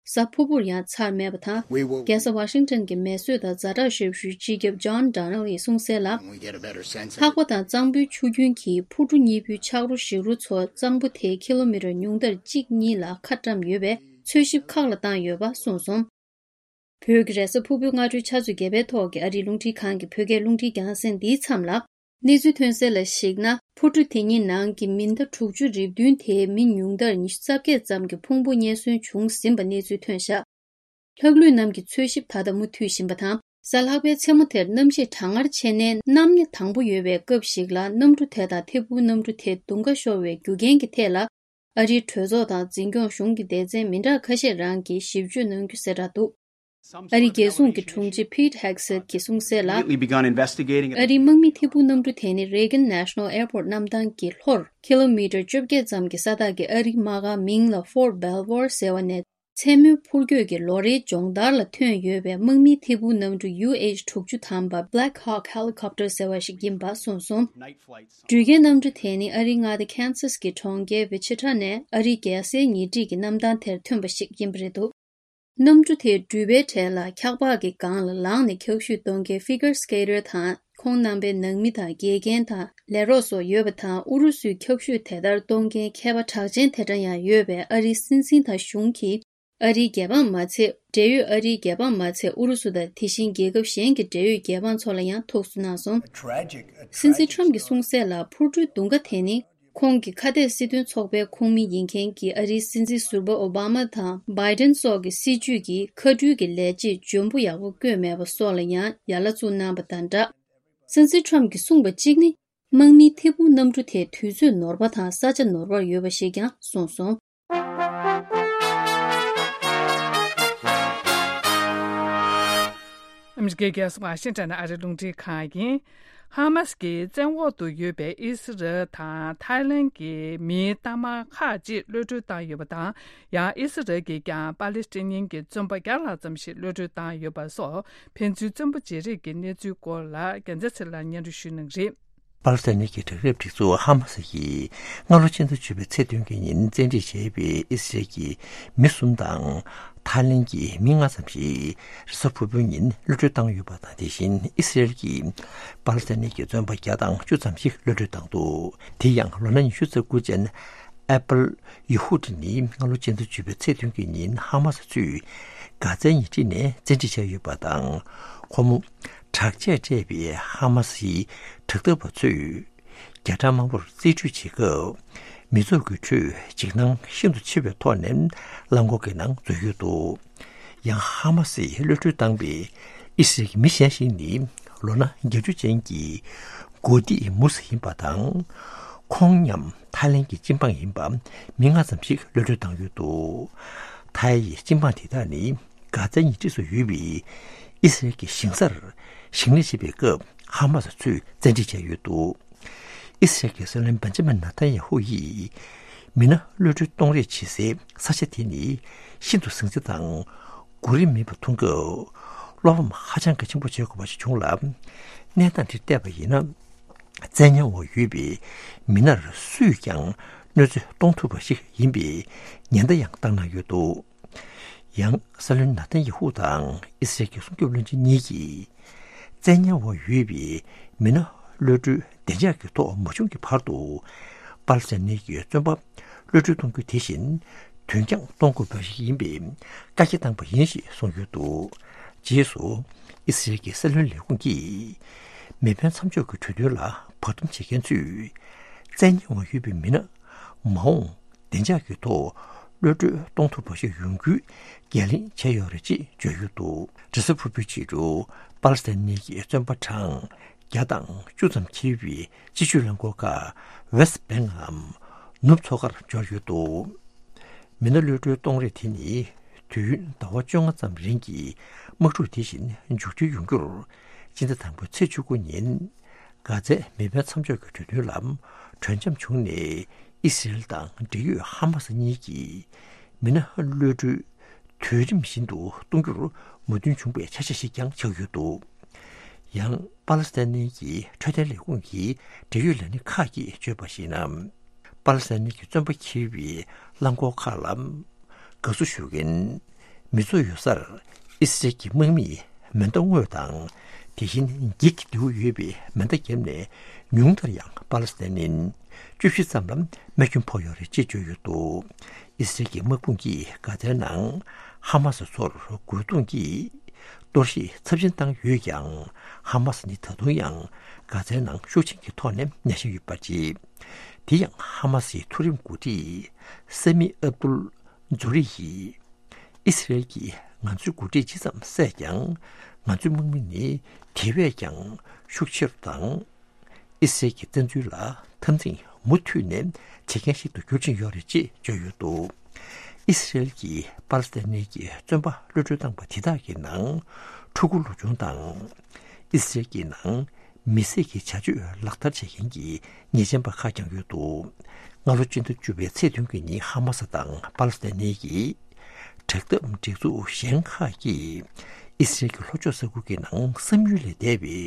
གཟའ་ཕུར་བུར་ཡང་ཚར་མེད་པ་དང་། We will རྒྱལ་ས་ཝ་ཤིང་ཊོན་གྱི་མེ་གསོད་དང་ཛ་དྲག་ཞབས་ཞུའི་སྤྱི་ཁྱབ་John Donnelly་གསུངས་གསལ་ལ། When we get a better sense of ལྷགས་པ་དང་གཙང་པོའི་ཆུ་རྒྱུན་གྱིས་འཕུར་གྲུ་གཉིས་པོའི་ཆག་རོ་ཞིག་རོ་ཚོ་གཙང་པོ་དེའི་ཁི་ལོ་མི་ཊར་ཉུང་མཐར་གཅིག་གཉིས་ལ་ཁ་བཀྲམ་ཡོད་པས་འཚོལ་ཞིབ་ཁག་ལ་བཏང་ཡོད་པ་གསུངས་སོང་། བོད་ཀྱི་རེས་གཟའ་ཕུར་བུའི་སྔ་དྲོའི་ཆུ་ཚོད་བརྒྱད་པའི་ཐོག་གི་ཨ་རིའི་རླུང་འཕྲིན་ཁང་གི་བོད་སྐད་རླུང་འཕྲིན་རྒྱང་སྲིང་འདིའི་མཚམས་ལ། གནས་ཚུལ་ཐོན་གསལ་ལ་གཞིགས་ན། འཕུར་གྲུ་དེ་གཉིས་ནང་གི་མི་ཟླ་དྲུག་ཅུ་རེ་བདུན་དེའི་མི་ཉུང་མཐར་ཉི་ཤུ་རྩ་བརྒྱད་ཙམ་གྱི་ཕུང་པོ་རྙེད་སོན་བྱུང་ཟིན་པ་གནས་ཚུལ་ཐོན་བཞག་ལྷག་ལུས་རྣམས་ཀྱི་འཚོལ་ཞིབ་ད་ལྟ་མུ་མཐུད་བཞིན་པ་དང་། གཟའ་ལྷག་པའི་མཚན་མོ་དེར་གནམ་གཤིས་གྲང་ངར་ཆེ་ནས་གནམ་ཉི་དྭངས་པོ་ཡོད་པའི་སྐབས་ཤིག་ལ། གནམ་གྲུ་དེ་དང་ཐད་འཕུར་གནམ་གྲུ་དེ་རྡུང་ཁ་ཤོར་བའི་རྒྱུ་རྐྱེན་གྱི་ཐད་ལ། ཨ་རིའི་གྲོས་ཚོགས་དང་འཛིན་སྐྱོང་གཞུང་གི་སྡེ་ཚན་མི་འདྲ་ཁ་ཤས་རང་གིས་ཞིབ་དཔྱོད་གནང་རྒྱུ་གསལ་བསྒྲགས་འདུག་ཨ་རིའི་རྒྱལ་སྲུང་གི་དྲུང་ཆེ་Pete Hegseth་གྱིས་གསུངས་གསལ་ལ། Immediately begun investigating. ཨ་རིའི་དམག་མི་ཐད་འཕུར་གནམ་གྲུ་དེ་ནི་Reagan National Airport་གནམ་ཐང་གི་ལྷོར་ཁི་ལོ་མི་ཊར་བཅོ་བརྒྱད་ཙམ་གྱི་ས་ཐག་གི་ཨ་རིའི་དམག་སྒར་མིང་ལ་Fort Belvoir་ཟེར་བ་ནས། མཚན་མོའི་འཕུར་སྐྱོད་ཀྱི་ལོ་རེའི་སྦྱོང་བརྡར་ལ་ཐོན་ཡོད་པའི་དམག་མིའི་ཐད་འཕུར་གནམ་གྲུ་ཡུ་ཨེཆ་དྲུག་ཅུ་ཐམ་པ་Black Hawk Helicopter་ཟེར་བ་ཞིག་ཡིན་པ་གསུངས་སོང་། འགྲུལ་སྐྱེལ་གནམ་གྲུ་དེ་ནི་ཨ་རིའི་མངའ་སྡེ་Kansas་གྱི་གྲོང་ཁྱེར་Wichita་ནས་ཨ་རིའི་རྒྱལ་སའི་ཉེ་འཁྲིས་ཀྱི་གནམ་ཐང་དེར་ཐོན་པ་ཞིག་ཡིན་པ་རེད་འདུག་གནམ་གྲུ་དེའི་འགྲུལ་པའི་གྲས་ལ་འཁྱགས་པགས་ཀྱི་སྒང་ལ་ལངས་ནས་འཁྱག་ཤུད་གཏོང་མཁན་figure skater་དང་། ཁོང་རྣམ་པའི་ནང་མི་དང་དགེ་རྒན་དང་ལས་རོགས་སོགས་ཡོད་པ་དང་། ཨུ་རུ་སུའི་འཁྱག་ཤུད་དེ་ལྟར་གཏོང་མཁན་མཁས་པ་གྲགས་ཅན་དེ་འདྲ་ཡང་ཡོད་པས། ཨ་རིའི་སྲིད་འཛིན་དང་གཞུང་གིས་ ཨ་རིའི་རྒྱལ་འབངས་མ་ཚད། འབྲེལ་ཡོད་ཨ་རིའི་རྒྱལ་འབངས་མ་ཚད་ཨུ་རུ་སུ་དང་དེ་བཞིན་རྒྱལ་ཁབ་གཞན་གྱི་འབྲེལ་ཡོད་རྒྱལ་འབངས་ཚོ་ལ་ཡང་ཐུགས་གསོ་གནང་སོང་། སྲིད་འཛིན་ཁྲམ་གྱིས་གསུངས་གསལ་ལ། འཕུར་གྲུའི་རྡུང་ཁ་དེ་ནི། ཁོང་གི་ཁ་གཏད་སྲིད་དོན་ཚོགས་པའི་ཁོངས་མི་ཡིན་མཁན་གྱི་ཨ་རིའི་སྲིད་འཛིན་ཟུར་པ་ཨོ་བྷ་མ་དང་བྷའི་ཏན་སོགས་ཀྱི་སྲིད་བྱུས་ཀྱི་མཁའ་འགྲུལ་གྱི་ལས་བྱེད་འཇོན་པོ་ཡག་པོ་བསྐོས་མེད་པ་སོགས་ལ་ཡང་ཡ་ལ་བཙུགས་གནང་བ་དང་སྦྲགས། སྲིད་འཛིན་ཁྲམ་གྱིས་གསུངས་པ་གཅིག་ནི། དམག་མིའི་ཐད་འཕུར་གནམ་གྲུ་དེ་དུས་ཚོད་ནོར་བ་དང་ས་ཆ་ནོར་བར་ཡོད་པ་ཞིག་ཀྱང་གསུངས་སོང་། ཨ་མི་རི་ཀའི་རྒྱལ་ས་ཝ་ཤིང་ཊོན་ཨ་རིའི་རླུང་འཕྲིན་ཁང་ཡིན། ཧ་མ་སི་གི་བཙན་འོག་ཏུ་ཡོད་པའི་ཨི་སི་རལ་དང་ཐའི་ལན་གྱི་མིའི་གཏའ་མ་ཁག་ཅིག་གློད་གྲོལ་བཏང་ཡོད་པ་དང་། ཡང་ཨི་སི་རལ་གྱིས་ཀྱང་པ་ལི་སི་ཐན་གྱི་བཙོན་པ་བརྒྱ་ལྷག་ཙམ་ཞིག་གློད་གྲོལ་བཏང་ཡོད་པ་སོགས། ཕན་ཚུན་བཙན་པོ་བརྗེ་རེས་ཀྱི་གནས་ཚུལ་སྐོར་ལ་རྒྱལ་མཚན་ཚེ་ལགས་སྙན་སྒྲོན་ཞུ་གནང་གི་རེད། པ་ལི་སི་ཐན་གྱི་དྲག་རབས་སྒྲིག་འཛུགས་ཧ་མ་སི་ཡིས་སྔ་ལོ་ཕྱི་ཟླ་བཅུ་པའི་ཚེས་བདུན་གྱི་ཉིན་བཙན་ཁྲིད་བྱས་པའི་ཨི་སི་རལ་གྱི་མི་གསུམ་དང་། ཐའི་ལན་གྱི་མི་ལྔ་ཙམ་ཞིག་རེས་གཟའ་ཕུར་བུའི་ཉིན་གློད་གྲོལ་བཏང་ཡོད་པ་དང་། དེ་བཞིན་ཨི་སི་རལ་གྱིས་པ་ལི་སི་ཐན་གྱི་བཙོན་པ་བརྒྱ་དང་བཅུ་ཙམ་ཞིག་གློད་གྲོལ་བཏང་འདུག་དེ་ཡང་ལོ་ན་ཉི་ཤུ་རྩ་དགུ་ཅན་ཨེ་པལ་ཡ་ཧུ་ཏི་ནི་སྔ་ལོ་ཕྱི་ཟླ་བཅུ་པའི་ཚེས་བདུན་གྱི་ཉིན་ཧ་མ་སི་ཚོས་གྷ་ཛའི་ཉེ་འཁྲིས་ནས་བཙན་ཁྲིད་བྱས་ཡོད་པ་དང་། ཁོ་མོ་དྲག་ཆས་སྤྲས་པའི་ཧ་མ་སིའི་དྲག་འཐབ་པ་ཚོས་རྒྱ་གྲམ་དམར་པོར་རྩིས་སྤྲོད་བྱེད་སྐབས། མི་ཚོགས་ཀྱི་ཁྲོད་འཇིགས་སྣང་ཤིན་ཏུ་ཆེ་བའི་ཐོག་ནས་རླངས་འཁོར་གྱི་ནང་འཛུལ་ཡོད་འདུག་ཡང་ཧ་མ་སིས་གློད་གྲོལ་བཏང་པའི་ཨི་སི་རལ་གྱི་མི་གཞན་ཞིག་ནི་ལོ་ན་བརྒྱད་ཅུ་ཅན་གྱི་གོ་ཏི་མུ་སི་ཡིན་པ་དང་། ཁོང་མཉམ་ཐའི་ལན་གྱི་སྤྱི་འབངས་ཡིན་པ་མི་ལྔ་ཙམ་ཞིག་གློད་གྲོལ་བཏང་ཡོད་འདུག་ཐའི་ཡི་སྤྱི་འབངས་དེ་དག་ནི་གྷ་ཛའི་ཉེ་འཁྲིས་སུ་ཡོད་པའི་ཨི་སི་རལ་གྱི་ཞིང་སར་ཞིང་ལས་བྱེད་པའི་སྐབས་ཧ་མ་སི་ཚོས་བཙན་ཁྲིད་བྱས་ཡོད་འདུག་ཨི་སི་རལ་གྱི་སྲིད་བློན་བེན་ཇ་མིན་ནེ་ཐན་ཡ་ཧུ་ཡིས་མི་སྣ་གློད་གྲོལ་གཏོང་རེས་བྱེད་སའི་ས་ཆ་དེ་ནི་ཤིན་ཏུ་ཟིང་ཆ་དང་གོ་རིམ་མེད་པ་མཐོང་སྐབས། བློ་ཕམ་ཧ་ཅང་གི་ཆེན་པོ་བྱེད་དགོས་པ་ཞིག་བྱུང་ལ། གནས་སྟངས་དེ་བལྟས་པ་ཡིན་ན། བཙན་ཉར་འོག་ཡོད་པའི་མི་སྣར་སུས་ཀྱང་གནོད་འཚེ་གཏོང་ཐུབ་པ་ཞིག་ཡིན་པའི་ཉེན་བརྡ་ཡང་བཏང་གནང་ཡོད་འདུག་ཡང་སྲིད་བློན་ནེ་ཐན་ཡ་ཧུ་དང་ཨི་སི་རལ་གྱི་སྲུང་སྐྱོབ་བློན་ཆེན་གཉིས་ཀྱིས། བཙན་ཉར་འོག་ཡོད་པའི་མི་སྣ་གློད་གྲོལ་བདེ་འཇགས་ཀྱི་ཐོག་མ་བྱུང་གི་བར་དུ། པ་ལི་སི་ཐན་གྱི་བཙོན་པ་གློད་གྲོལ་གཏོང་རྒྱུ་དེ་བཞིན་དོན་རྐྱང་གཏོང་དགོས་པ་ཞིག་ཡིན་པའི་བཀའ་རྒྱ་བཏང་པ་ཡིན་ཞེས་གསུངས་ཡོད་འདུག་རྗེས་སུ་ཨི་སི་རལ་གྱི་སྲིད་བློན་ལས་ཁུངས་ཀྱིས་མེ་འཕེན་མཚམས་འཇོག་གི་གྲོས་མཐུན་ལ་བར་འདུམ་བྱེད་མཁན་ཚོས་བཙན་ཉར་འོག་ཡོད་པའི་མི་སྣ་མ་འོངས་བདེ་འཇགས་ཀྱི་ཐོག་གློད་གྲོལ་གཏོང་ཐུབ་པ་ཞིག་ཡོང་རྒྱུའི་འགན་ལེན་བྱས་ཡོད་རེད་ཅེས་བརྗོད་ཡོད་འདུག་རེས་གཟའ་ཕུར་བུའི་ཕྱི་དྲོ་པ་ལི་སི་ཐན་གྱི་བཙོན་པ་གྲངས་བརྒྱ་དང་བཅུ་ཙམ་འཁྱེར་བའི་སྤྱི་སྤྱོད་རླངས་འཁོར་ཁག་ཝེ་སི་ཊི་བྷེང་ངམ་ནུབ་མཚོ་ཁར་འབྱོར་ཡོད་འདུག་མི་སྣ་གློད་གྲོལ་གཏོང་རེས་དེ་ནི་དུས་ཡུན་ཟླ་བ་བཅོ་ལྔ་ཙམ་རིང་གི་དམག་འཁྲུག་དེ་བཞིན་མཇུག་སྒྲིལ་ཡོང་རྒྱུར། སྤྱི་ཟླ་དང་པོའི་ཚེས་བཅུ་དགུ་ཉིན་གྷ་ཛའི་མེ་འཕེན་མཚམས་འཇོག་གི་གྲོས་མཐུན་ལ་གྲོས་འཆམ་བྱུང་ནས། ཨི་སི་རེལ་དང་འབྲེལ་ཡོད་ཧ་མ་སི་གཉིས་ཀྱིས་མི་སྣ་གློད་གྲོལ་དུས་རིམ་བཞིན་དུ་གཏོང་རྒྱུར་མོས་མཐུན་བྱུང་བའི་ཆ་ཤས་ཤིག་ཀྱང་ཆགས་ཡོད་འདུག་ཡང་པ་ལི་སི་ཐན་གྱི་འཕྲོད་བསྟེན་ལས་ཁུངས་ཀྱི་འབྲེལ་ཡོད་ལས་སྣེ་ཁག་གིས་བརྗོད་པར་གཞིགས་ན། པ་ལི་སི་ཐན་གྱི་བཙོན་པ་འཁྱེར་བའི་རླངས་འཁོར་ཁག་ལ་དགའ་བསུ་ཞུ་མཁན་མི་ཚོགས་ཡོད་སར་ཨི་སི་རེལ་གྱི་དམག་མིས་མེ་མདའ་བསྔོས་དང་། དེ་བཞིན་འགྱིག་གི་རྡེའུ་ཡོད་པའི་མེ་མདའ་བརྒྱབ་ནས། ཉུང་མཐར་ཡང་པ་ལི་སི་ཐན་ནི་བཅུ་བཞི་ཙམ་ལ་རྨས་སྐྱོན་ཕོག་ཡོད་རེད་ཅེས་བརྗོད་ཡོད་འདུག་ཨི་སི་རེལ་གྱི་དམག་དཔུང་གིས་གྷ་ཛའི་ནང་ཧ་མ་སི་ཚོར་རྒོལ་རྡུང་གིས་གཏོར་བཤིག་ཚབས་ཆེན་བཏང་ཡོད་ཀྱང་། ཧ་མ་སི་ནི་ད་དུང་ཡང་གྷ་ཛའི་ནང་ཤུགས་ཆེན་གྱི་ཐོག་ནས་གནས་བཞིན་ཡོད་པ་རེད། དེ་ཡང་ཧ་མ་སིའི་མཐོ་རིམ་འགོ་ཁྲིད་ས་མི་ཨབ་ཏུལ་ཛུ་རི་ཡིས། ཨི་སི་རེལ་གྱིས་ང་ཚོའི་འགོ་ཁྲིད་ཇི་ཙམ་བསད་ཀྱང་། ང་ཚོའི་དམག་མི་ནི་དེ་བས་ཀྱང་ཤུགས་ཆེ་རུ་དང་། ཨི་སི་རེལ་གྱི་བཙན་འཛུལ་ལ་འཐབ་འཛིང་མུ་མཐུད་ནས་བྱེད་མཁན་ཞིག་ཏུ་འགྱུར་བཞིན་ཡོད་རེད་ཅེས་བརྗོད་ཡོད་འདུག་ཨི་སི་རེལ་གྱིས་པ་ལི་སི་ཐན་གྱི་བཙོན་པ་གློད་གྲོལ་བཏང་པ་དེ་དག་གི་ནང་ཕྲུ་གུ་ལོ་ཆུང་དང་། ཨི་སི་རེལ་གྱི་ནང་མི་བསད་ཀྱི་བྱ་སྤྱོད་ལག་བསྟར་བྱེད་མཁན་གྱི་ཉེས་ཅན་པ་ཁག་ཀྱང་ཡོད་འདུག་སྔ་ལོ་སྤྱི་ཟླ་བཅུ་པའི་ཚེས་བདུན་གྱི་ཉིན་ཧ་མ་སི་དང་པ་ལི་སི་ཐན་གྱི་དྲག་འཐབ་སྒྲིག་འཛུགས་གཞན་ཁག་གིས་ཨི་སི་རེལ་གྱི་ལྷོ་ཕྱོགས་ས་ཁུལ་གྱི་ནང་བསམ་ཡུལ་ལས་འདས་པའི་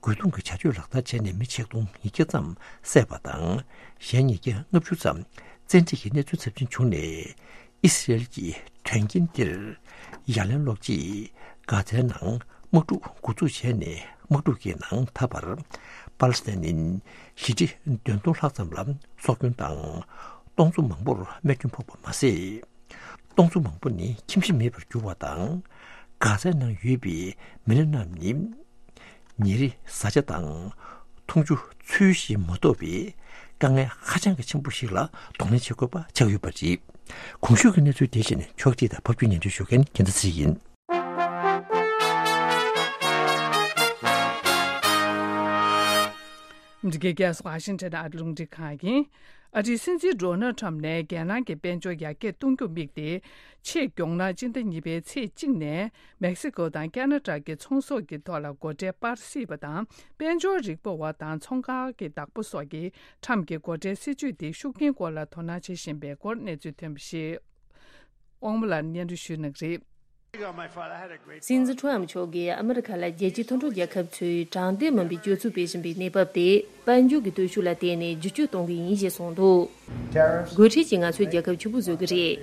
རྒོལ་རྡུང་གི་བྱ་སྤྱོད་ལག་བསྟར་བྱས་ནས་མི་ཆིག་སྟོང་ཉིས་བརྒྱ་ཙམ་བསད་པ་དང་། གཞན་ཉིས་བརྒྱ་ལྔ་བཅུ་ཙམ་བཙན་ཁྲིད་ཀྱི་གནས་ཚུལ་ཚབས་ཆེན་བྱུང་ནས། ཨི་སི་རེལ་གྱིས་དོན་རྐྱེན་འདིར་ཡ་ལན་སློག་ཆེད་གྷ་ཛའི་ནང་དམག་འཁྲུག་འགོ་འཛུགས་བྱས་ནས། དམག་འཁྲུག་གི་ནང་ད་བར་པ་ལི་སི་ཐན་ནི་ཞི་འགྲིག་བདུན་སྟོང་ལྷག་ཙམ་ལ་སྲོག་སྐྱོན་དང་། སྟོང་ཚོ་མང་པོར་རྨས་སྐྱོན་ཕོག་པ་མ་ཟད། སྟོང་ཚོ་མང་པོ་ནི་ཁྱིམ་གཞིས་མེད་པར་གྱུར་བ་དང་། གྷ་ཛའི་ནང་ཡོད་པའི་མི་སྣ་རྣམས་ནི་ཉིན་རེ་བཟའ་བཅའ་དང་འཐུང་ཆུ་ཚུལ་བཞིན་མ་ཐོབ་པའི་དཀའ་ངལ་ཧ་ཅང་གི་ཆེན་པོ་ཞིག་ལ་གདོང་ལེན་བྱེད་དགོས་པ་ཆགས་ཡོད་པ་རེད། གོང་ཞུས་ཀྱི་གནས་ཚུལ་དེ་བཞིན་ཕྱོགས་སྒྲིག་དང་ཕབ་སྒྱུར་སྙན་སྒྲོན་ཞུ་མཁན་རྒྱལ་མཚན་ཚེ་རིང་ཡིན། འདི་གའི་རྒྱལ་ས་ཝ་ཤིང་ཊོན་ཨ་རི་རླུང་འཕྲིན་ཁང་ཡིན། ཨ་རིའི་སྲིད་འཛིན་ཌོ་ནལ་ཁྲམ་ནས་རྒྱལ་ནང་གི་དཔལ་འབྱོར་ཡར་རྒྱས་གཏོང་རྒྱུར་དམིགས་ཏེ། ཆེས་མགྱོགས་ན་སྤྱི་ཟླ་གཉིས་པའི་ཚེས་གཅིག་ནས་མེག་སི་ཀོ་དང་ཁ་ན་ཌ་གི་ཚོང་ཟོག་གི་ཐོག་ལ་སྒོ་ཁྲལ་སྤར་སྲིད་པ་དང་། དཔལ་འབྱོར་རིག་པ་བ་དང་ཚོང་ཁང་གི་བདག་པོ་སོགས་ཀྱིས་ཁྲམ་གྱི་སྒོ་ཁྲལ་སྲིད་ཇུས་དེ་ཤུགས་རྐྱེན་སྐོར་ལ་དོ་སྣང་བྱེད་བཞིན་པའི་སྐོར་གནས་ཚུལ་ཐོན་པ་ཞིག་དབང་མོ་ལགས་སྙན་སྒྲོན་ཞུ་གནང་གི་རེད། སྲིད་འཛིན་ཁྲོམ་མཆོག་གིས་ཨ་མི་རི་ཁ་ལ་རྒྱལ་སྤྱིའི་མཐུན་གྲོགས་རྒྱལ་ཁབ་ཚོས་དྲང་བདེན་མིན་པའི་སྤྱོད་ཚུལ་སྤེལ་བཞིན་པའི་གནས་བབ་དེ་དཔལ་འབྱོར་གྱི་སྟོབས་ཤུགས་ལ་བརྟེན་ནས་བསྒྱུར་བཅོས་གཏོང་གི་ཡིན་ཞེས་གསུངས་འདུག་སྒོ་ཁྲལ་གྱིས་ང་ཚོའི་རྒྱལ་ཁབ་ཕྱུག་པོ་བཟོ་གི་རེད།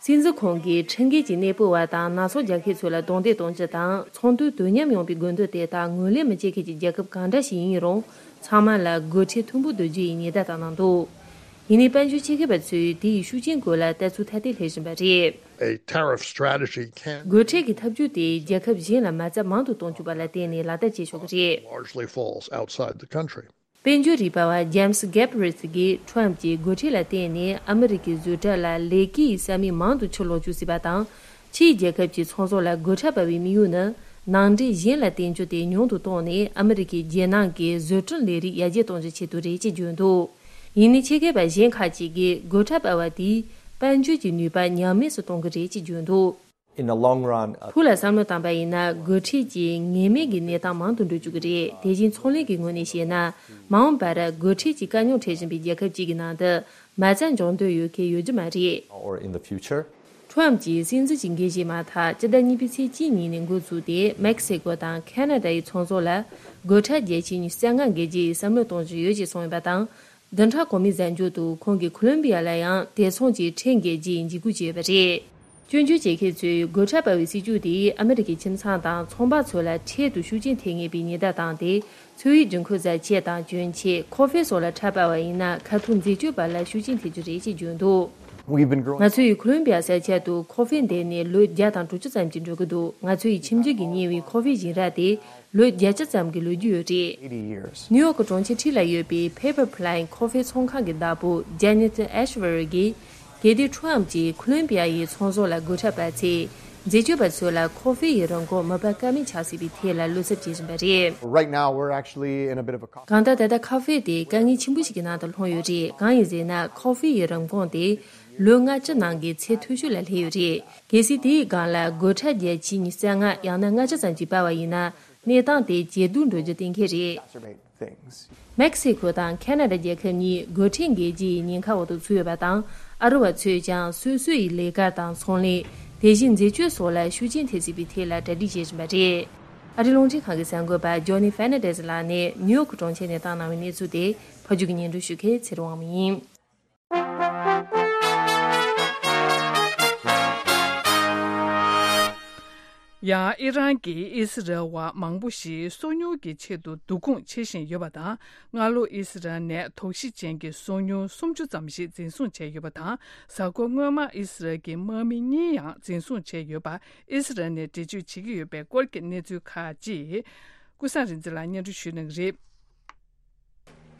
སྲིད་འཛིན་ཁོང་གིས་ཁྲིམས་འགལ་གྱི་གནས་སྤོ་བ་དང་ནག་ཚོང་རྒྱག་མཁན་ཚོ་ལ་རྡུང་རྡེག་གཏོང་རྒྱུ་དང་ཚོང་དོན་དོ་མཉམ་ཡོང་བའི་དགོས་འདུན་དེ་དག་ངོས་ལེན་མི་བྱེད་མཁན་གྱི་རྒྱལ་ཁབ་གང་འདྲ་ཞིག་ཡིན་རུང་ཚང་མ་ལ་སྒོ་ཁྲལ་མཐོན་པོ་བསྡུ་རྒྱུ་ཡི་ཉེན་བརྡ་བཏང་གནང་འདུག་ཡིན་ནའི་དཔལ་འབྱོར་ཆེད་མཁས་པ་ཚོས་དེ་ཡི་ཤུགས་རྐྱེན་སྐོར་ལ་ལྟ་ཚུལ་ཐ་དད་སླེབས་བཞིན་པ་རེད། A tariff strategy can སྒོ་ཁྲལ་གྱི་ཐབས་ཇུས་དེས་རྒྱལ་ཁབ་གཞན་ལ་མ་རྩ་མང་དུ་གཏོང་བཅུག་པ་ལ་བརྟེན་ནས་ལག་བསྟར་བྱེད་ཆོག་གི་རེད། Largely falls outside the country. དཔལ་འབྱོར་རིག་པ་བ་ཇེམ་སི་གེབ་རི་ཚི་གིས་ཁྲོམ་གྱིས་སྒོ་ཁྲལ་ལ་བརྟེན་ནས་ཨ་མི་རི་ཀའི་བཟོ་གྲྭ་ལ་ལས་ཀའི་ས་མིག་མང་དུ་ཕྱིར་ལོག་བཅུག་སྲིད་པ་དང་། ཕྱིའི་རྒྱལ་ཁབ་ཀྱི་ཚོང་ཟོག་ལ་སྒོ་ཁྲལ་སྤར་བའི་དམིགས་ཡུལ་ནི་ནང་འདྲེན་གཞན་ལ་བརྟེན་རྒྱུ་དེ་ཉུང་དུ་བཏང་ནས་ཨ་མི་རི་ཀའི་རྒྱལ་ནང་གི་བཟོ་སྐྲུན་ལས་རིགས་ཡར་རྒྱས་གཏོང་རྒྱུའི་ཆེད་དུ་རེད་ཅེས་བརྗོད་འདུག་ཡིན་ནའི་ཆེད་མཁས་པ་གཞན་ཁག་ཅིག་གིས་སྒོ་ཁྲལ་སྤར་བ་དེས་དཔལ་འབྱོར་གྱི་ནུས་པ་ཉམས་དམས་སུ་གཏོང་གི་རེད་ཅེས་བརྗོད་འདུག In the long run, uh, ཕུགས་ལ་བསམ་བློ་བཏང་པ་ཡིན་ན་སྒོ་ཁྲལ་གྱིས་ངེས་མེད་ཀྱི་གནས་སྟངས་མང་དུ་འགྲོ་བཅུག་གི་རེད། དེ་བཞིན་ཚོང་ལས་ཀྱི་ངོས་ནས་བཤད་ན། མ་འོངས་པར་སྒོ་ཁྲལ་གྱིས་དཀའ་རྙོག་འཕྲད་བཞིན་པའི་རྒྱལ་ཁབ་ཅིག་གི་ནང་དུ་མ་རྩ་འཇོག་འདོད་ཡོད་མཁན་ཡོད་རྒྱུ་མ་རེད། Or in the future. ཁྲོམ་གྱིས་སྲིད་འཛིན་གྱི་འགན་བཞེས་མ་ཐག་སྤྱི་ཟླ་གཉིས་པའི་ཚེས་གཅིག་ཉིན་ནས་འགོ་བཙུགས་ཏེ་མེག་སི་ཀོ་དང་ཁ་ན་ཌ་ཡི་ཚོང་ཟོག་ལ་སྒོ་ཁྲལ་བརྒྱ་ཆའི་ཉི་ཤུ་རྩ་ལྔ་འགེལ་རྒྱུའི་བསམ་བློ་གཏོང་བཞིན་ཡོད་ཅེས་གསུངས་ཡོད་པ་དང་། བདུན་ཕྲག་གོང་མའི་གཟའ་མཇུག་ཏུ་ཁོང་གིས་ཁོ་ལོམ་བི་ཡ་ལ་ཡང་དེ་མཚུངས་ཀྱི་ཁྲལ་འགེལ་རྒྱུའི་འཇིགས་སྐུལ་བྱས་ཡོད་པ་རེད། སྐྱོན་བརྗོད་བྱེད་མཁན་ཚོས་སྒོ་ཁྲལ་སྤར་བའི་སྲིད་ཇུས་དེས་ཨ་མི་རི་ཀའི་ཁྱིམ་ཚང་དང་ཚོང་པ་ཚོ་ལ་འཕྲལ་དུ་ཤུགས་རྐྱེན་ཐེབས་ངེས་པའི་ཉེན་བརྡ་བཏང་སྟེ། འཚོ་བའི་འགན་འཁུར་བཟའ་ཆས་དང་གྱོན་ཆས། ཁོ་ཧྥེ་སོགས་ལ་ཁྲལ་སྤར་བ་ཡིན་ན་ཁ་ཐུག་འཛད་སྤྱོད་པ་ལ་ཤུགས་རྐྱེན་ཐེབས་རྒྱུ་རེད་ཅེས་བརྗོད་འདུག We've been growing. ང་ཚོ་ཡིས་ཁོ་ལོམ་བི་ཡ་ས་ཆ་དུ་ཁོ་ཧྥེ་འདེབས་ནས་ལོ་བརྒྱ་དང་དྲུག་ཅུ་ཙམ་གྱིས་འགྲོ་གི་འདུག་ང་ཚོ་ཡི་ཁྱིམ་རྒྱུད་ཀྱིས་གཉེར་བའི་ཁོ་ཧྥེ་ཞིང་ར་དེ་ལོ་བརྒྱད་ཅུ་ཙམ་གྱི་ལོ་རྒྱུས་ཡོད་རེད། Eighty years. ནིའུ་ཡོག་གྲོང་ཁྱེར་འཁྲིས་ལ་ཡོད་པའི་Pepper Plant ཁོ་ཧྥེ་ཚོང་ཁང་གི་བདག་པོ་ཇ་ནེ་ཐན་ཨེ་ཤ་ཝེ་རི་གིས། གལ་ཏེ་ཁྲོམ་གྱིས་ཁོ་ལོམ་བི་ཡ་ཡི་ཚོང་ཟོག་ལ་སྒོ་ཁྲལ་སྤར་ཚེ། འཛད་སྤྱོད་པ་ཚོ་ལ་ཁོ་ཧྥེ་ཡི་རིན་གོང་མི་སྤར་ཀ་མེད་ཆགས་སྲིད་པའི་ཐད་ལ་བློ་འཚབ་བྱེད་བཞིན་པ་རེད། Right now, we're actually in a bit of a con- གང་ལྟར་ད་ལྟ་ཁ་ཧྥེ་དེ་དཀའ་ངལ་ཆེན་པོ་ཞིག་གི་ནང་དུ་ལྷུང་ཡོད་རེད། གང་ཡིན་ཟེར་ན་ཁོ་ཧྥེ་ཡི་རིན་གོང་དེ་ལོ་ལྔ་བཅུ་ནང་གི་ཚད་མཐོ་ཤོས་ལ་སླེབས་ཡོད་རེད། གལ་སྲིད་དེའི་སྒང་ལ་སྒོ་ཁྲལ་བརྒྱ་ཆའི་ཉི་ཤུ་རྩ་ལྔ་ཡང་ན་ལྔ་བཅུ་ཙམ་ཞིག་སྤར་བ་ཡིན་ན། གནས་སྟངས་དེ་ཇེ་སྡུག་འགྲོ་རྒྱུ་གཏན་འཁེལ་རེད། Exacerbate things. མེག་སི་ཁོ་དང་ཁ་ན་ཌ་རྒྱལ་ཁབ་གཉིས་སྒོ་ཁྲལ་འགེལ་རྒྱུ་ཡི་ཉེན་ཁ་འོག་ཏུ་ཚུད་ཡོད་པ་དང་། ཨ་རི་བ་ཚོས་ཀྱང་སོ་སོ་ཡི་ལས་ཀ་དང་ཚོང་ལས། དེ་བཞིན་འཛད་སྤྱོད་སོགས་ལ་ཤུགས་རྐྱེན་ཐེབས་སྲིད་པའི་ཐད་ལ་གྲ་སྒྲིག་བྱེད་བཞིན་པ་རེད། ཨ་རིའི་རླུང་འཕྲིན་ཁང་གི་གསར་འགོད་པ་ཇོ་ནི་ཧྥེར་ནན་ཌེ་སི་ལགས་ནས་ནིའུ་ཡོག་གྲོང་ཁྱེར་ནས་བཏང་གནང་བའི་གནས་ཚུལ་དེ་ཕབ་སྒྱུར་གྱིས་སྙན་སྒྲོན་ཞུ་མཁན་ཚེ་རིང་དབང་མོ་ཡིན། ཡང་ཨི་རན་གྱིས་ཨི་སི་རལ་བ་མང་པོ་ཞིག་སོ་ཉུལ་གྱི་ཆེད་དུ་བསྡུ་སྐོང་བྱེད་བཞིན་ཡོད་པ་དང་། སྔ་ལོ་ཨི་སི་རལ་ནས་དོགས་གཞི་ཅན་གྱི་སོ་ཉུལ་སུམ་ཅུ་ཙམ་ཞིག་འཛིན་བཟུང་བྱས་ཡོད་པ་དང་། གཟའ་འཁོར་སྔོན་མ་ཨི་སི་རལ་གྱི་དམག་མི་གཉིས་ཡང་འཛིན་བཟུང་བྱས་ཡོད་པ་ཨི་སི་རལ་ནས་འགྲེལ་བརྗོད་བྱེད་ཀྱི་ཡོད་པའི་སྐོར་གྱི་གནས་ཚུལ་ཁག་ཅིག་ཀུན་བཟང་རིག་འཛིན་ལགས་སྙན་སྒྲོན་ཞུ་གནང་གི་རེད།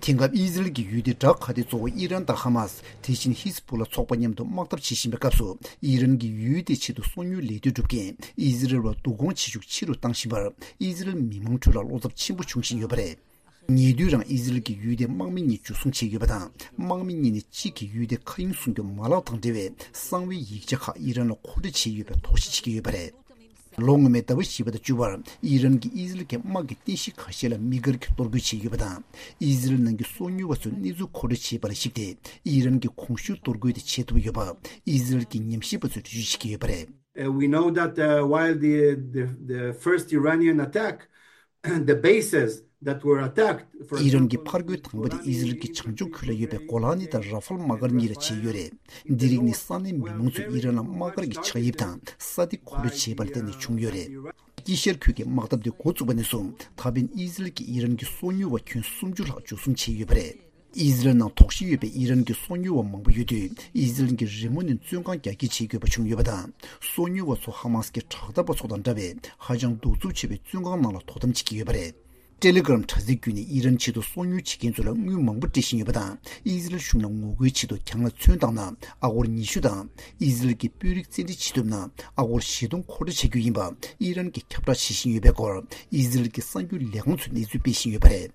དེང་སྐབས་ཨི་ཟི་རལ་གྱི་ཡུལ་སྡེ་བྲག་ཁ་ཏའི་གཙོ་བོ་ཨི་རན་དང་ཧ་མཱས། དེ་བཞིན་ཧི་ཟི་བྷུ་ལ་ཚོགས་པ་མཉམ་དུ་དམག་འཐབ་བྱེད་བཞིན་པའི་སྐབས་སུ། ཨི་རན་གྱི་ཡུལ་དེའི་ཆེད་དུ་སོ་ཉུལ་ལས་དོན་སྒྲུབ་མཁན་ཨི་ཟི་རལ་བ་བསྡུ་སྐོང་བྱེད་ཤུགས་ཆེ་རུ་བཏང་བཞིན་པར། ཨི་ཟི་རལ་མི་མང་ཁྲོད་ལ་བློ་འཚབ་ཆེན་པོ་བྱུང་བཞིན་ཡོད་པ་རེད། ཉེ་དུས་རང་ཨི་ཟི་རལ་གྱི་ཡུལ་དེའི་དམག་མི་གཉིས་འཇུ་བཟུང་བྱས་ཡོད་པ་དང་། དམག་མི་གཉིས་ནས་གཅིག་གིས་ཡུལ་དེའི་མཁའ་དབྱིངས་སྲུང་སྐྱོབ་མ་ལག་དང་འབྲེལ་བའི་གསང་བའི་ཡིག་ཆ་ཁག་ཨི་རན་ལ་མཁོ་སྤྲོད་བྱས་ཡོད་པའི་དོགས་གཞི་བྱེད་ཀྱི་ཡོད་པ་རེད། ལོ་སྔོན་མའི་ཟླ་བ་བཞི་པ་དང་བཅུ་པར་ཨི་རན་གྱིས་ཨི་ཟི་རལ་གྱི་དམག་གི་རྟེན་གཞི་ཁ་ཤས་ལ་དམིགས་བཀར་གྱིས་གཏོར་རྒོལ་བྱས་ཡོད་པ་དང་། ཨི་ཟི་རལ་ནང་གི་སོ་ཉུལ་བ་ཚོའི་གནས་ཚུལ་མཁོ་སྤྲོད་བྱས་པ་ལ་གཞིགས་ཏེ། ཨི་རན་གྱིས་གོང་ཞུས་གཏོར་རྒོལ་དེ་བྱེད་ཐུབ་ཡོད་པ་ཨི་ཟི་རལ་གྱི་ཉམས་ཞིབ་པ་ཚོས་འགྲེལ་བརྗོད་བྱེད་ཀྱི་ཡོད་པ་རེད། Uh, we know that, uh, while the, the, the first Iranian attack, the bases that were attacked, for ཨི་རན་གྱི་example, ཕར་རྒོལ་དང་པོ་དེ་ཨི་ཟི་རལ་གྱི་བྱང་ཕྱོགས་ཁུལ་ལ་ཡོད་པའི་གོ་ལ་ནི་དང་ར་ཧྥལ་དམག་སྒར་གཉིས་ལ་བྱས་ཡོད་རེད། འདི་རིགས་ནི་ས་གནས་མི་མང་ཚོས་ཨི་རན་ལ་དམག་སྒར་གྱི་ཆགས་དབྱིབས་དང་ས་སྟེགས་མཁོ་སྤྲོད་བྱས་པ་ལ་བརྟེན་ནས་བྱུང་ཡོད་རེད། དཀྱིལ་ཤར་ཁུལ་གྱི་དམག་འཐབ་དེ་འགོ་བཙུགས་པ་ནས་བཟུང་ད་ཕན་ཨི་ཟི་རལ་གྱིས་ཨི་རན་གྱི་སོ་ཉུལ་བ་ཁྱོན་སུམ་ཅུ་ལྷག་འཇུ་བཟུང་བྱས་ཡོད་པ་རེད། ཨི་ཟི་རལ་ནང་དོགས་གཞི་ཡོད་པའི་ཨི་རན་གྱི་སོ་ཉུལ་བ་མང་པོ་ཡོད་དུས། ཨི་ཟི་རལ་གྱིས་རི་མོ་ནས་བཙོན་ཁང་རྒྱ་སྐྱེད་བྱེད་དགོས་པ་བྱུང་ཡོད་པ་དང་། སོ་ཉུལ་བ་ཚོ་ཧ་མ་སི་ཀྱི་དྲག་འཐབ་པ་ཚོ་དང་འདྲ་བའི་ཧ་ཅང་གདུག་རྩུབ་ཆེ་བའི་བཙོན་ཁང་ནང་ལ་དོ་དམ་བྱེད་ཀྱི་ཡོད་པ་རེད། ཊེ་ལི་གྷི་རམ་དྲ་ཚིགས་བརྒྱུད་ནས་ཨི་རན་ཆེད་དུ་སོ་ཉུལ་བྱེད་མཁན་ཚོ་ལ་དངུལ་མང་པོ་སྤྲད་བཞིན་ཡོད་པ་དང་། ཨི་ཟི་རལ་གཞུང་ལ་ངོ་རྒོལ་ཆེད་དུ་གྱང་ལ་ཚོན་བཏང་ན་ཨ་སྒོར་ཉི་ཤུ་དང་། ཨི་ཟི་རལ་གྱི་དཔོན་རིགས་བཙན་ཁྲིད་བྱེད་ཐུབ་ན་ཨ་སྒོར་བཞི་སྟོང་མཁོ་སྤྲོད་བྱ་རྒྱུ་ཡིན་པ་ཨི་རན་གྱིས་ཁྱབ་བསྒྲགས་བྱེད་བཞིན་ཡོད་པའི་སྐོར་ཨི་ཟི་རལ་གྱི་གསར་འགྱུར་ལས་ཁང་ཚོས་གནས་ཚུལ་སྤེལ་བཞིན་ཡོད་པ་རེད།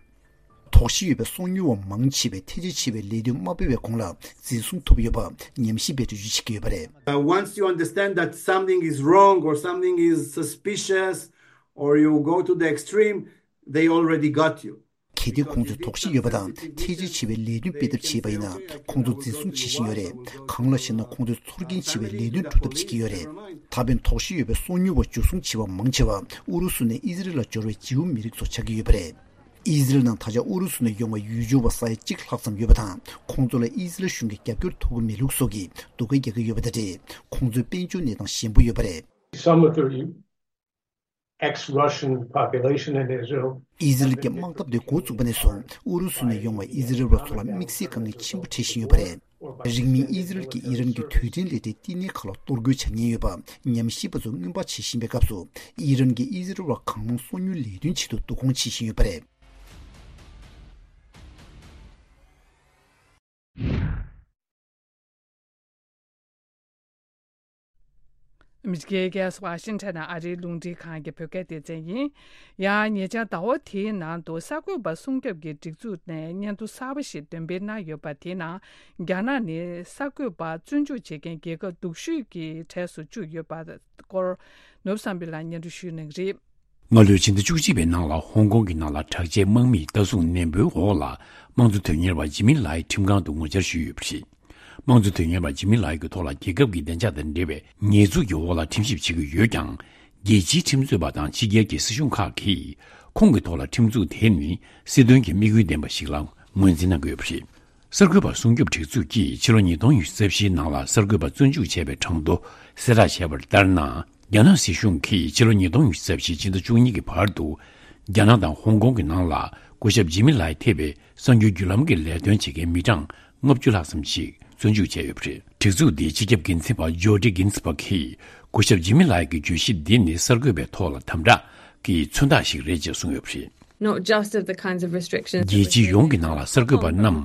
དོགས་གཞི་ཡོད་པའི་སོ་ཉུལ་བ་མང་ཆེ་བས་ཐལ་ཆ་ཆེ་བའི་ལས་དོན་མ་སྤེལ་བའི་གོང་ལ་འཛིན་བཟུང་ཐུབ་ཡོད་པ་ཉམས་ཞིབ་པས་འགྲེལ་བརྗོད་བྱེད་ཀྱི་ཡོད་པ་རེད། Uh, once you understand that something is wrong or something is suspicious, or you go to the extreme, they already got you. གལ་ཏེ་ཁོང་ཚོས་དོགས་གཞི་ཡོད་པ་དང་ཐལ་ཆ་ཆེ་བའི་ལས་དོན་སྤེལ་ཐབས་བྱས་པ་ཡིན་ན། ཁོང་ཚོ་འཛིན་བཟུང་བྱེད་བཞིན་ཡོད་རེད། གང་ལགས་ཤེ་ན། ཁོང་ཚོས་ཚོར་སྐྱེན་ཆེ་བའི་ལས་དོན་སྒྲུབ་ཐབས་བྱེད་ཀྱི་ཡོད་རེད། ད་ཕན་དོགས་གཞི་ཡོད་པའི་སོ་ཉུལ་བ་འཇུ་བཟུང་བྱེད་པ་མང་ཆེ་བ་ཨུ་རུ་སུ་ནས་ཨི་ཟི་རལ་ལ་འབྱོར་བའི་ཇིའུ་མི་རིགས་ཚོ་ཆགས་ཀྱི་ཡོད་པ་རེད། ཨི་ཟི་རལ་ནང་ད་ཆ་ཨུ་རུ་སུ་ནས་ཡོང་བའི་ཡུལ་སྐྱོར་བ་ས་ཡ་གཅིག་ལྷག་ཙམ་ཡོད་པ་དང་། ཁོང་ཚོ་ལ་ཨི་ཟི་རལ་གཞུང་གིས་རྒྱབ་སྐྱོར་ཐོབ་ཀྱི་མེད་ལུགས་སོགས་ཀྱི་སྡུག་སྐད་རྒྱག་གི་ཡོད་པ་དང་འབྲེལ། ཁོང་ཚོའི་དཔལ་འབྱོར་གནས་སྟངས་ཞན་པོ་ཡོད་པ་རེད། Some of the ex-Russian population in Israel. ཨི་ཟི་རལ་གྱི་དམག་འཐབ་དེ་འགོ་བཙུགས་པ་ནས་བཟུང་ཨུ་རུ་སུ་ནས་ཡོང་བའི་ཨི་ཟི་རལ་བ་ཚོ་ལ་དམིགས་བསལ་དཀའ་ངལ་ཆེན་པོ་འཕྲད་བཞིན་ཡོད་པ་རེད། རིང་མིན་ཨི་ཟི་རལ་གྱིས་ཨི་རན་གྱི་རྡུལ་ཕྲན་ལས་གྲྭའི་བསྟི་གནས་ཁག་ལ་གཏོར་རྒོལ་བྱ་ཉེན་ཡོད་པ་ཉམས་ཞིབ་པ་ཚོས་སྔོན་དཔག་བྱེད་བཞིན་པའི་སྐབས་སུ། ཨི་རན་གྱིས་ཨི་ཟི་རལ་བ་གང་མང་སོ་ཉུལ་ལས་དོན་ཆེད་དུ་བསྡུ་སྐོང་བྱེད་བཞིན་ཡོད་པ་རེད། ཨ་མི་རི་ཀའི་རྒྱལ་ས་ཝ་ཤིང་ཊོན་ནས་ཨ་རིའི་རླུང་འཕྲིན་ཁང་གི་བོད་སྐད་སྡེ་ཚན་ཡིན། ཡང་ཉེ་ཆར་ཟླ་བ་དེའི་ནང་དུ་གསར་འགོད་པ་སྲུང་སྐྱོབ་ཀྱི་སྒྲིག་འཛུགས་ནས་སྙན་ཐོ་གསར་པ་ཞིག་འདོན་སྤེལ་གནང་ཡོད་པ། དེའི་ནང་རྒྱ་ནག་ནི་གསར་འགོད་པ་བཙོན་འཇུག་བྱེད་མཁན་རྒྱལ་ཁབ་སྡུག་ཤོས་ཀྱི་གྲས་སུ་བཅུག་ཡོད་པ་སྐོར། ནོར་བུ་བསམ་འཕེལ་ལགས་སྙན་སྒྲོན་ཞུ་གནང་གི་རེད། སྔ་ལོའི་ཕྱི་ཟླ་བཅུ་གཅིག་པའི་ནང་ལ་ཧོང་ཀོང་གི་ནང་ལ་དྲག་ཆས་དམག་མིས་ལྟ་སྲུང་ནན་པོའི་འོག་ལ་དམངས་གཙོ་དོན་གཉེར་བ་ཇི་མི་ལའི་ཁྲིམས་ཁང་དུ་ངོ་བཅར་ཞུས་ཡོད་པ་རེད། དམངས་གཙོ་དོན་གཉེར་བ་ཇི་མི་ལའི་གི་ཐོག་ལ་རྒྱལ་ཁབ་ཀྱི་བདེ་འཇགས་དང་འབྲེལ་བའི་ཉེས་འཛུགས་ཀྱི་འོག་ལ་ཁྲིམས་ཞིབ་བྱེད་ཀྱི་ཡོད་ཀྱང་། རྒྱལ་སྤྱིའི་ཁྲིམས་རྩོད་པ་དང་ཕྱི་རྒྱལ་གྱི་སྲིད་གཞུང་ཁག་གིས་ཁོང་གི་ཐོག་ལ་ཁྲིམས་འཛུགས་དེ་ནི་སྲིད་དོན་གྱི་དམིགས་ཡུལ་ལྡན་པ་ཞིག་ལ་ངོས་འཛིན་གནང་གི་ཡོད་པ་རེད། གསར་འགོད་པ་སྲུང་སྐྱོབ་སྒྲིག་འཛུགས་ཀྱིས་ཕྱི་ལོ་ཉིས་སྟོང་ཉི་ཤུ་རྩ་བཞིའི་ནང་ལ་གསར་འགོད་པ་བཙོན་འཇུག་བྱས་པའི་གྲངས་ཐོ་གསལ་བསྒྲགས་བྱས་པར་ལྟར་ན། རྒྱ་ནག་སྲིད་གཞུང་གིས་ཕྱི་ལོ་ཉིས་སྟོང་ཉི་ཤུ་རྩ་བཞི་ཕྱི་ཟླ་བཅུ་གཉིས་ཀྱི་བར་དུ་རྒྱ་ནག་དང་ཧོང་ཀོང་གི་ནང་ལ་སྐུ་ཞབས་ཇི་མི་ལའི་ཐེ་བའི་གསར་འགྱུར་བརྒྱུད་ལམ་གྱི་ལས་དོན་བྱེད་མཁན་མི་གྲངས་ལྔ་བཅུ་ལྷག་ཙམ་ཞིག་བཙོན་འཇུག་བྱས་ཡོད་པ་རེད། སྒྲིག་འཛུགས་འདིའི་སྤྱི་ཁྱབ་འགན་འཛིན་པ་ཇོ་ཌི་གིན་སི་བྷག་གིས་སྐུ་ཞབས་ཇི་མི་ལའི་གི་བརྗོད་གཞི་འདི་ནི་གསར་འགོད་པའི་ཐོག་ལ་དམ་དྲག་གི་མཚོན་རྟགས་ཤིག་རེད་ཅེས་གསུངས་ཡོད་པ་རེད། Not just of the kinds of restrictions that རྒྱལ་སྤྱི་ཡོངས་ཀྱི་ནང་ལ་གསར་འགོད་པ་རྣམས་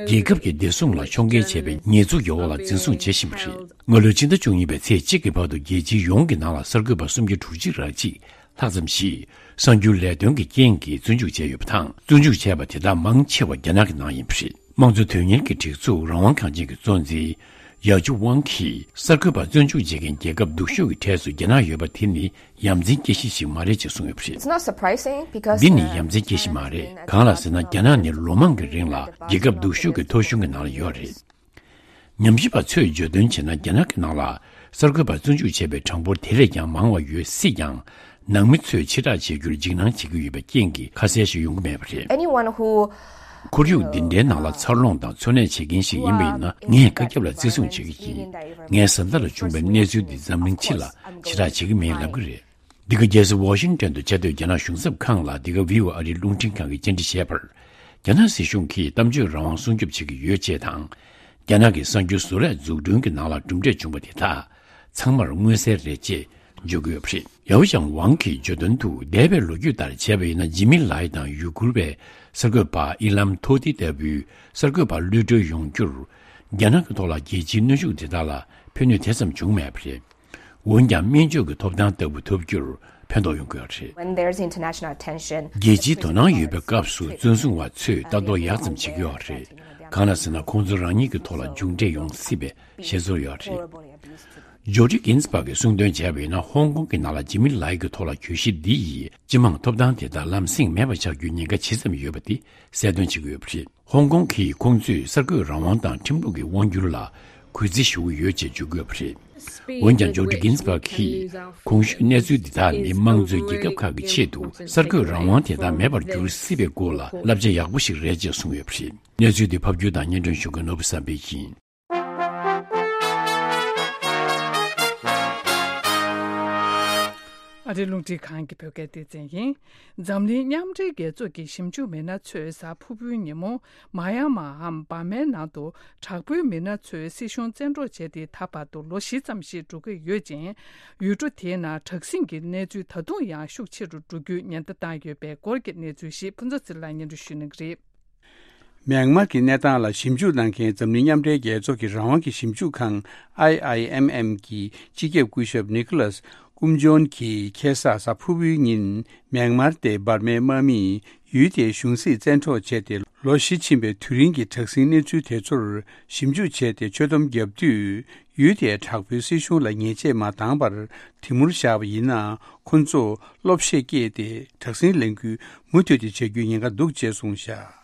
རྒྱལ་ཁབ་ཀྱི་བདེ་སྲུང་ལ་ཕྱོགས་འགལ་བྱས་པའི་ཉེས་འཛུགས་ཀྱི་འོག་ལ་འཛིན་བཟུང་བྱེད་བཞིན་པ་རེད། སྔ་ལོའི་ཕྱི་ཟླ་བཅུ་གཉིས་པའི་ཚེས་གཅིག་གི་བར་དུ་རྒྱལ་སྤྱི་ཡོངས་ཀྱི་ནང་ལ་གསར་འགོད་པ་སུམ་བརྒྱ་དྲུག་ཅུ་རེ་གཅིག་ལྷག་ཙམ་ཞིག་གསར་འགྱུར་ལས་དོན་གྱི་རྐྱེན་གྱིས་བཙོན་འཇུག་བྱས་ཡོད་པ་དང་། བཙོན་འཇུག་བྱས་པ་དེ་དག་མང་ཆེ་བ་རྒྱ་ནག་གི་ནང་ཡིན་པ་རེད། དམངས་གཙོ་དོན་གཉེར་གྱི་སྒྲིག་འཛུགས་རང་དབང་ཁང་ཆེན་གྱི་གཙོ་འཛིན་ཡ་ཅུ་ཝང་གིས་གསར་འགོད་པ་བཙོན་འཇུག་བྱེད་མཁན་རྒྱལ་ཁབ་སྡུག་ཤོས་ཀྱི་གྲས་སུ་རྒྱ་ནག་ཡོད་པ་དེ་ནི་ཡ་མཚན་སྐྱེ་གཞི་ཞིག་མ་རེད་ཅེས་གསུངས་ཡོད་པ་རེད། It's not surprising because འདི་ནི་ཡ་མཚན་སྐྱེ་གཞི་མ་རེད། གང་ལགས་ཟེར་ན། རྒྱ་ནག་ནི་ལོ་མང་གི་རིང་ལ་རྒྱལ་ཁབ་སྡུག་ཤོས་ཀྱི་ཐོ་གཞུང་གི་ནང་ལ་ཡོད་རེད། ཉམས་ཞིབ་པ་ཚོས་བརྗོད་དོན་བྱས་ན། རྒྱ་ནག་གི་ནང་ལ་གསར་འགོད་པ་བཙོན་འཇུག་བྱས་པའི་གྲངས་འབོར་དེ་ལས་ཀྱང་མང་བ་ཡོད་སྲིད་ཀྱང་། ནང་མི་ཚོས་ཕྱིར་བསྒྲགས་བྱེད་རྒྱུར་འཇིགས་སྣང་བྱེད་ཀྱི་ཡོད་པའི་རྐྱེན་གྱིས་ཁ་གསལ་ཞིག་ཡོང་གི་མེད་པ་རེད། Anyone who ཁོར་ཡུག་འདི་འདྲའི་ནང་ལ་འཚར་ལོངས་དང་འཚོ་གནས་བྱེད་མཁན་ཞིག་ཡིན་པ་ཡིན་ན། ངས་བཀའ་ཁྱབ་ལ་བརྩི་སྲུང་བྱེད་ཀྱི་ཡིན། ངའི་བཟའ་ཟླ་ལ་བྱུང་བའི་གནས་ཚུལ་འདི་འཛམ་གླིང་སྤྱི་ལ་ཕྱིར་བསྒྲགས་བྱེད་ཀྱི་མིན་ལབ་ཀྱི་རེད། འདི་ག་རྒྱལ་ས་ཝ་ཤིང་ཊོན་དུ་བཅའ་སྡོད་རྒྱ་ནག་གཞུང་ཚབ་ཁང་ལ་འདི་ག་ཝི་ཨོ་ཨ་རིའི་རླུང་འཕྲིན་ཁང་གིས་བཅར་འདྲི་བྱས་པར། རྒྱ་ནག་སྲིད་གཞུང་གིས་གཏམ་བརྗོད་རང་དབང་སྲུང་སྐྱོབ་བྱེད་ཀྱི་ཡོད་ཅེས་དང་། རྒྱ་ནག་གི་གསར་འགྱུར་བཟོ་ལས་འཛུགས་སྐྲུན་གྱི་ནང་ལ་གྲུབ་འབྲས་བྱུང་བ་དེ་དག་ཚང་མར་མངོན་གསལ་རེད་ཅེས་བརྗོད་ཀྱི་ཡོད་པ་རེད། ཡའོ་ཞང་ཝང་གིས་བརྗོད་དོན་དུ། འདས་པའི་ལོ་རྒྱུས་ལྟར་བྱས་པ་ཡིན་ན། ཇི་མི་ལའི་དང་ཡུ་གུར་བའི་གསར་འགོད་པ་ཨི་ལམ་ཐོ་ཏི་ལྟ་བུའི་གསར་འགོད་པ་གློད་གྲོལ་ཡོང་རྒྱུར། རྒྱ་ནག་གི་ཐོག་ལ་རྒྱལ་སྤྱིའི་གནོན་ཤུགས་དེ་དག་ལ་ཕན་ནུས་དེ་ཙམ་བྱུང་མེད་པ་རེད། འོན་ཀྱང་། སྨན་བཅོས་ཀྱི་ཐོབ་ཐང་ལྟ་བུ་ཐོབ་རྒྱུར་ཕན་ཐོགས་ཡོང་གི་ཡོད་རེད། When there's international attention, རྒྱལ་སྤྱིའི་དོ་སྣང་ཡོད་པའི་སྐབས་སུ། བཙོན་སྲུང་བ་ཚོས་ལྟ་རྟོག་ཡག་ཙམ་བྱེད་ཀྱི་ཡོད་རེད། གང་ལ་ཟེར་ན། ཁོང་ཚོ་རང་ཉིད་ཀྱི་ཐོག་ལ་མཇུག་འབྲས་ཡོང་སྲིད་པའི་ཤེས་ཚོར་ཡོད་རེད། ཇོ་ཌི་གིན་སི་བྷག་གིས་གསུངས་དོན་བྱས་པ་ཡིན་ན། ཧོང་ཀོང་གི་ནང་ལ་ཇི་མི་ལའི་གི་ཐོག་ལ་གྱོད་གཞི་འདི་ཡིས་སྤྱི་དམངས་ཐོབ་ཐང་དེ་དག་ལམ་སེང་མེད་པ་ཆགས་རྒྱུའི་ཉེན་ཁ་ཇི་ཙམ་ཡོད་པ་དེ་གསལ་སྟོན་བྱེད་ཀྱི་ཡོད་པ་རེད། ཧོང་ཀོང་གིས་ཁོང་ཚོས་གསར་འགོད་རང་དབང་དང་ཁྲིམས་ལུགས་ཀྱི་དབང་སྒྱུར་ལ་གུས་བརྩི་ཞུ་གི་ཡོད་ཅེས་བརྗོད་ཀྱི་ཡོད་པ་རེད། འོན་ཀྱང་། ཇོ་ཌི་གིན་སི་བྷག་གིས། གོང་ཞུས་གནས་ཚུལ་འདི་དག་ནི་དམངས་གཙོའི་རྒྱལ་ཁབ་ཁག་གི་ཆེད་དུ་གསར་འགོད་རང་དབང་དེ་དག་མེད་པར་འགྱུར་སྲིད་པའི་སྐོར་ལ་བསླབ་བྱ་ཡག་པོ་ཞིག་རེད་ཅེས་གསུངས་ཡོད་པ་རེད། གནས་ཚུལ་འདི་ཕབ་སྒྱུར་དང་སྙན་སྒྲོན་ཞུ་མཁན་ནོར་བུ་བསམ་འཕེལ་ཡིན། ཨ་རིའི་རླུང་འཕྲིན་ཁང་གི་བོད་སྐད་སྡེ་ཚན་ཡིན། འཛམ་གླིང་མཉམ་འབྲེལ་རྒྱལ་ཚོགས་ཀྱི་ཞིབ་འཇུག་མི་སྣ་ཚོས་གཟའ་ཕུར་བུའི་ཉིན་མོ། མ་ཡ་མ་འམ་འབར་མའི་ནང་དུ་དྲག་པོའི་མི་སྣ་ཚོས་སྲིད་གཞུང་བཙན་འཕྲོག་བྱས་ཏེ་ད་བར་དུ་ལོ་བཞི་ཙམ་ཞིག་འགྲོ་གི་ཡོད་ཅིང་། ཡུལ་གྲུ་དེའི་ནང་དྲག་ཟིང་གི་གནས་ཚུལ་ད་དུང་ཡང་ཤུགས་ཆེ་རུ་འགྲོ་རྒྱུའི་ཉེན་བརྡ་བཏང་ཡོད་པའི་སྐོར་གྱི་གནས་ཚུལ་ཞིག་ཕུན་ཚོགས་ཚེ་ལགས་སྙན་སྒྲོན་ཞུ་གནང་གི་རེད། མྱན་མར་གྱི་གནས་སྟངས་ལ་ཞིབ་འཇུག་གནང་མཁན་འཛམ་གླིང་མཉམ་འབྲེལ་རྒྱལ་ཚོགས་ཀྱི་རང་དབང་གི་ཞིབ་འཇུག་ཁང་ཨའི་ཨའི་ཨེམ་ཨེམ་གྱི་སྤྱི་ཁྱབ་སྐུ་ཞབས་ནི་ཀོ་ལཱས་ཀུམ་ཇོན་གྱིས་ཁ་སང་གཟའ་ཕུར་བུའི་ཉིན་མྱན་མར་སྟེ་འབར་མའི་དམག་མིས་ཡུལ་དེའི་གཞུང་སྲིད་བཙན་འཕྲོག་བྱས་ཏེ་ལོ་བཞི་ཕྱིན་པའི་དུས་རིང་གི་དྲག་ཟིང་གནས་ཚུལ་དེ་ཚོར་ཞིབ་འཇུག་བྱས་ཏེ་ཆོད་སྡོམ་བརྒྱབ་དུས། ཡུལ་དེའི་དྲག་པོའི་སྲིད་གཞུང་ལ་ཉེས་ཆད་མ་བཏང་བར་དེ་མུར་བཞག་པ་ཡིན་ན། ཁོ་ཚོ་བློ་བཤད་སྐྱེས་ཏེ་དྲག་ཟིང་ལས་འགུལ་མུ་མཐུད་དེ་བྱ་རྒྱུའི་ཉེན་ཁ་འདུག་ཅེས་གསུངས་བཞག་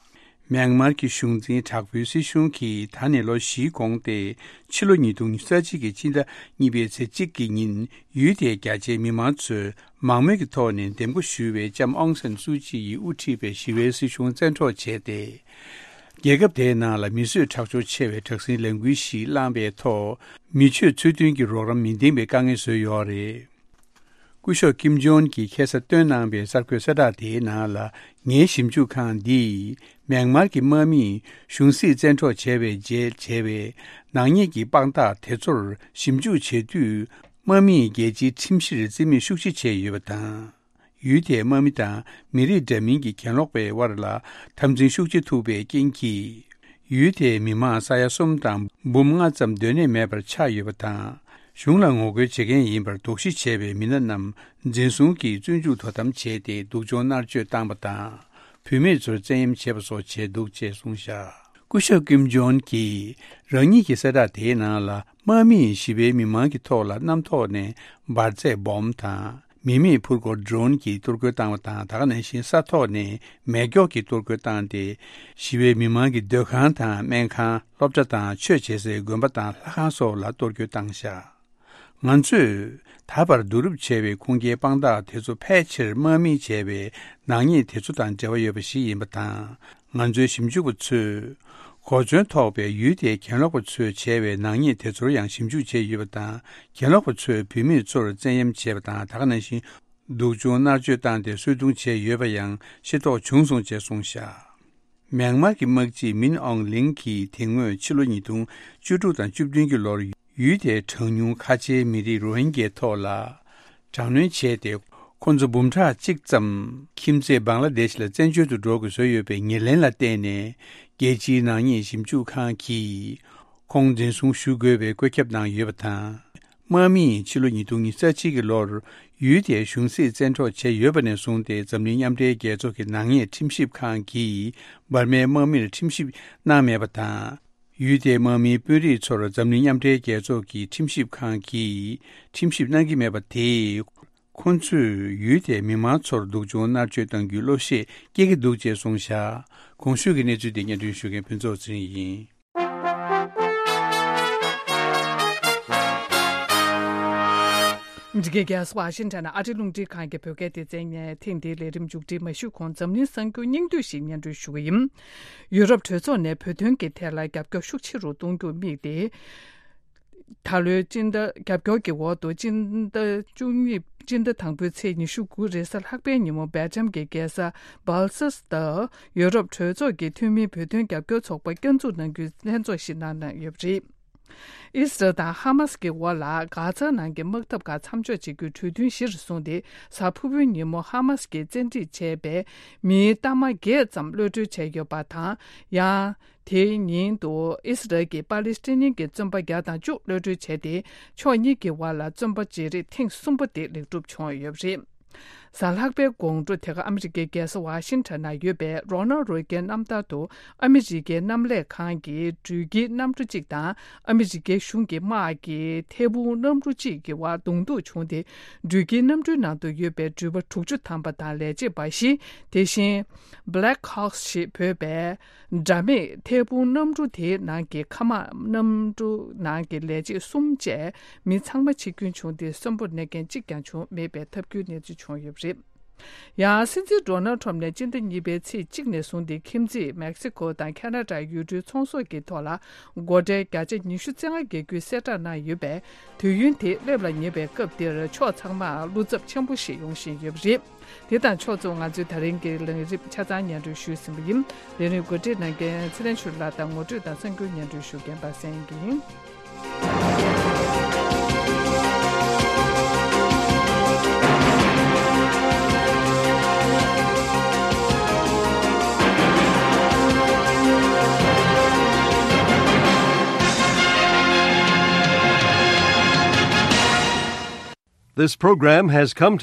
མྱན་མར་གྱི་གཞུང་འཛིན་དྲག་པོའི་སྲིད་གཞུང་གིས་ད་ནས་ལོ་བཞིའི་གོང་སྟེ། ཕྱི་ལོ་ཉིས་སྟོང་ཉི་ཤུ་རྩ་གཅིག་གི་ཕྱི་ཟླ་གཉིས་པའི་ཚེས་གཅིག་གི་ཉིན་ཡུལ་དེའི་རྒྱ་ཆེའི་མི་མང་ཚོས་མང་མོས་ཀྱི་ཐོག་ནས་འདེམས་བསྐོ་ཞུས་པའི་ལྕམ་ཨོང་སན་སུའུ་ཅི་ཡིས་དབུ་ཁྲིད་པའི་ཞི་བའི་སྲིད་གཞུང་བཙན་འཕྲོག་བྱས་ཏེ། རྒྱལ་ཁབ་དེའི་ནང་ལ་མི་གསོད་ཁྲག་སྦྱོར་ཆེ་བའི་དྲག་ཟིང་ལས་འགུལ་ཞིག་བསླངས་པའི་ཐོག་མི་ཆོས་ཚུལ་མཐུན་གྱི་རོགས་རམ་མི་འདིང་བའི་དཀའ་ངལ་བཟོས་ཡོད་རེད། སྐུ་ཞབས་ཀིམ་ཇོན་གྱིས་ཁ་སང་བཏོན་གནང་བའི་གསར་འགོད་གསལ་བསྒྲགས་དེའི་ནང་ལ། ངའི་ཞིབ་འཇུག་ཁང་འདིས་མྱན་མར་གྱི་དམག་མིས་གཞུང་སྲིད་བཙན་འཕྲོག་བྱས་པའི་རྗེས་བྱས་པའི་ནག་ཉེས་ཀྱི་དཔང་རྟགས་དེ་ཚོར་ཞིབ་འཇུག་བྱེད་དུས། དམག་མིས་རྒྱལ་སྤྱིའི་ཁྲིམས་གཞིར་བརྩི་མེད་ཤུགས་ཆེ་བྱས་ཡོད་པ་དང་། ཡུལ་དེའི་དམག་མི་དང་མི་རིགས་འདྲ་མིན་གྱི་གྱེན་ལོག་པའི་དབར་ལ་འཐབ་འཛིང་ཤུགས་ཆེ་ཐུག་པའི་རྐྱེན་གྱིས། ཡུལ་དེའི་མི་མང་ས་ཡ་གསུམ་དང་འབུམ་ལྔ་ཙམ་སྡོད་གནས་མེད་པར་ཆགས་ཡོད་པ་དང་། གཞུང་ལ་ངོ་རྒོལ་བྱེད་མཁན་ཡིན་པར་དོགས་གཞི་བྱས་པའི་མི་སྣ་རྣམས་འཛིན་བཟུང་གིས་བཙོན་འཇུག་དོ་དམ་བྱས་ཏེ་སྡུག་སྦྱོང་མནར་གཅོད་བཏང་པ་དང་། བུད་མེད་ཚོར་བཙན་གཡེམ་བྱས་པ་སོགས་བྱས་འདུག་ཅེས་གསུངས་བཞག་སྐུ་ཞབས་ཀིམ་ཇོན་གྱིས་རང་ཉིད་ཀྱི་གསལ་བསྒྲགས་དེའི་ནང་ལ། དམག་མིས་ཞི་བའི་མི་མང་གི་ཐོག་ལ་གནམ་ཐོག་ནས་འབར་རྫས་སྦོམ་དང་། མི་མེད་འཕུར་འཁོར་ཌོ་རོན་གྱིས་གཏོར་རྒོལ་བཏང་བ་དང་། ད་ག་ནང་བཞིན་ས་ཐོག་ནས་མེ་སྒྱོགས་ཀྱིས་གཏོར་རྒོལ་བཏང་སྟེ། ཞི་བའི་མི་མང་གི་སྡོད་ཁང་དང་སྨན་ཁང་། སློབ་གྲྭ་དང་ཆོས་བྱེད་སའི་དགོན་པ་དང་ལྷ་ཁང་སོགས་ལ་གཏོར་རྒོལ་བཏང་བཞག་ང་ཚོས་ད་བར་བསྡུ་རུབ་བྱས་པའི་ཁུངས་སྐྱེལ་དཔང་རྟགས་དེ་ཚོ་ཕལ་ཆེར་དམག་མིས་བྱས་པའི་ནག་ཉེས་དེ་ཚོ་དང་འབྲེལ་བ་ཡོད་པ་ཞིག་ཡིན་པ་དང་། ང་ཚོའི་ཞིབ་འཇུག་པ་ཚོས་གོ་མཚོན་ཐོགས་པའི་ཡུལ་དེའི་གྱེན་ལོག་པ་ཚོས་བྱས་པའི་ནག་ཉེས་དེ་ཚོར་ཡང་ཞིབ་འཇུག་བྱས་ཡོད་པ་དང་། གྱེན་ལོག་པ་ཚོས་བུད་མེད་ཚོར་བཙན་གཡེམ་བྱས་པ་དང་། ད་ག་ནང་བཞིན་སྡུག་སྦྱོང་མནར་གཅོད་བཏང་སྟེ་གསོད་རྡུང་བྱས་ཡོད་པ་ཡང་ཤེས་རྟོགས་བྱུང་སོང་ཅེས་གསུངས་བཞག་མྱན་མར་གྱི་དམག་སྤྱི་མིན་ཨོང་ལིང་གིས་དེ་སྔོན་ཕྱི་ལོ་ཉིས་སྟོང་བཅུ་དྲུག་དང་བཅུ་བདུན་གྱི་ལོར་ཡུལ་དེའི་གྲངས་ཉུང་ཁ་ཆེའི་མི་རིགས་རོ་ཧིན་གྱའི་ཐོག་ལ་དྲག་གནོན་བྱས་ཏེ། ཁོ་ཚོ་འབུམ་ཕྲག་གཅིག་ཙམ་ཁྱིམ་མཚེས་བང་ལ་དེཤ་ལ་བཙན་བྱོལ་དུ་འགྲོ་དགོས་བཟོས་ཡོད་པའི་ཉེར་ལེན་ལ་བརྟེན་ནས། རྒྱལ་སྤྱིའི་ནག་ཉེས་ཞིབ་འཇུག་ཁང་གིས་ཁོང་འཛིན་བཟུང་ཞུ་དགོས་པའི་བཀོད་ཁྱབ་གནང་ཡོད་པ་དང་། དམག་མིས་ཕྱི་ལོ་ཉིས་སྟོང་ཉི་ཤུ་རྩ་གཅིག་གི་ལོར་ཡུལ་དེའི་གཞུང་སྲིད་བཙན་འཕྲོག་བྱས་ཡོད་པ་ནས་བཟུང་སྟེ། འཛམ་གླིང་མཉམ་འབྲེལ་རྒྱལ་ཚོགས་ཀྱི་ནག་ཉེས་ཁྲིམས་ཞིབ་ཁང་གིས་འབར་མའི་དམག་མིར་ཁྲིམས་ཞིབ་གནང་མེད་པ་དང་། ཡུལ་དེའི་དམག་མིའི་དཔོན་རིགས་ཚོར་འཛམ་གླིང་མཉམ་འབྲེལ་རྒྱལ་ཚོགས་ཀྱི་ཁྲིམས་ཞིབ་ཁང་གིས་ཁྲིམས་ཞིབ་གནང་གི་མེད་པ་དེས། ཁོ་ཚོས་ཡུལ་དེའི་མི་མང་ཚོར་སྡུག་སྦྱོང་མནར་གཅོད་གཏང་རྒྱུའི་བློ་ཤེད་སྐྱེ་གི་འདུག་ཅེས་གསུངས་བཞག་གོང་ཞུས་ཀྱི་གནས་ཚུལ་དེ་སྙན་སྒྲོན་ཞུ་མཁན་ཕུན་ཚོགས་ཚེ་རིང་ཡིན། འདི་གའི་རྒྱལ་ས་ཝ་ཤིང་ཊོན་ཨ་རིའི་རླུང་འཕྲིན་ཁང་གི་བོད་སྐད་སྡེ་ཚན་ནས་ཐེངས་འདིའི་ལས་རིམ་མཇུག་སྒྲིལ་མ་ཞུས་གོང་འཛམ་གླིང་གསར་འགྱུར་སྙིང་བསྡུས་ཤིག་སྙན་སྒྲོན་ཞུ་གི་ཡིན། ཡུ་རོབ་གྲོས་ཚོགས་ནས་བོད་དོན་གྱི་ཐད་ལ་རྒྱབ་སྐྱོར་ཤུགས་ཆེ་རུ་གཏོང་རྒྱུར་དམིགས་ཏེ། ད་ལོའི་སྤྱི་ཟླ་རྒྱབ་སྐྱོར་གྱི་འོག་ཏུ་སྤྱི་ཟླ་བཅུ་གཉིས། སྤྱི་ཟླ་དང་པོའི་ཚེས་ཉི་ཤུ་དགུ་རེས་གཟའ་ལྷག་པའི་ཉིན་མོ་སྦེལ་ཇམ་གྱི་རྒྱལ་ས་སྦལ་སིས་ཏུ་ཡུ་རོབ་གྲོས་ཚོགས་ཀྱི་འཐུས་མིའི་བོད་དོན་རྒྱབ་སྐྱོར་ཚོགས་པ་བསྐྱར་འཛུགས་གནང་རྒྱུའི་ལྷན་ཚོགས་ཤིག་གནང་གནང་ཡོད་པ་རེད། ཨི་སི་རལ་དང་ཧ་མ་སི་ཀྱི་དབར་ལ་གྷ་ཛ་ནང་གི་དམག་འཐབ་ཁག་མཚམས་འཇོག་བྱེད་རྒྱུའི་གྲོས་མཐུན་གཞིར་བཟུང་སྟེ། གཟའ་ཕུར་བུའི་ཉིན་མོ་ཧ་མ་སི་ཀྱིས་བཙན་ཁྲིད་བྱས་པའི་མིའི་གཏའ་མ་བརྒྱད་ཙམ་གློད་གྲོལ་བྱས་ཡོད་པ་དང་། ཡང་། དེའི་ཉིན་དུ་ཨི་སི་རལ་གྱིས་པ་ལི་སི་ཐན་གྱི་བཙོན་པ་བརྒྱ་དང་བཅུ་གློད་གྲོལ་བྱས་ཏེ། ཕྱོགས་གཉིས་ཀྱི་དབར་ལ་བཙོན་པ་བརྗེ་རེས་ཐེངས་གསུམ་པ་དེ་ལེགས་གྲུབ་བྱུང་ཡོད་པ་རེད། གཟའ་ལྷག་པའི་དགོང་དྲོ་དེ་ག་ཨ་མི་རི་ཀའི་རྒྱལ་ས་ཝ་ཤིང་ཊོན་ན་ཡོད་པའི་རོ་ནལ་རེ་གན་གནམ་ཐང་དུ་ཨ་མི་རི་ཀའི་གནམ་ལས་ཁང་གི་འགྲུལ་སྐྱེལ་གནམ་གྲུ་གཅིག་དང་ཨ་མི་རི་ཀའི་གཞུང་གི་དམག་གི་ཐད་འཕུར་གནམ་གྲུ་གཅིག་གི་དབར་གདོང་ཐུག་བྱུང་སྟེ། འགྲུལ་སྐྱེལ་གནམ་གྲུའི་ནང་དུ་ཡོད་པའི་འགྲུལ་པ་དྲུག་ཅུ་ཐམ་པ་དང་ལས་བྱེད་པ་བཞི། དེ་བཞིན་Black Hawks ཞེས་འབོད་པའི་དགྲ་མེད་ཐད་འཕུར་གནམ་གྲུ་དེའི་ནང་གི་མཁའ་དམག་གནམ་གྲུ་ནང་གི་ལས་བྱེད་གསུམ་བཅས་མི་ཚང་མ་འཆི་སྐྱོན་བྱུང་སྟེ། གསོན་པོར་གནས་མཁན་གཅིག་ཀྱང་བྱུང་མེད་པའི་ཐབས་སྐྱོའི་གནས་ཚུལ་བྱུང་ཡོད་པ་རེད། ཡང་སྲིད་འཛིན་ཌོ་ནལ་ཁྲོམ་ནས་སྤྱི་ཟླ་གཉིས་པའི་ཚེས་གཅིག་ནས་བཟུང་སྟེ་ཁྱིམ་མཚེས་མེག་སི་ཀོ་དང་ཁ་ན་ཌ་ཡུལ་གྲུའི་ཚོང་ཟོག་གི་ཐོག་ལ་སྒོ་ཁྲལ་བརྒྱ་ཆ་ཉི་ཤུ་རྩ་ལྔ་འགེལ་རྒྱུའི་གསལ་བསྒྲགས་གནང་ཡོད་པས། དུས་ཡུན་དེ་སླེབས་ལ་ཉེ་བའི་སྐབས་འདིར་ཕྱོགས་ཚང་མར་བློ་འཚབ་ཆེན་པོ་ཞིག་ཡོང་བཞིན་ཡོད་པ་རེད། དེ་དང་ཕྱོགས་མཚུངས་ང་ཚོའི་ད་རིང་གི་ལས་རིམ་ཆ་ཚང་སྙན་སྒྲོན་ཞུས་ཟིན་པ་ཡིན། ལས་རིམ་གོ་སྒྲིག་གནང་མཁན་ཚེ་རིང་ཆོས་སྒྲོན་ལགས་དང་ངོ་སྤྲོད་དང་གསར་འགྱུར་སྙན་སྒྲོན་ཞུ་མཁན་པ་སངས་ཡིན། This program has come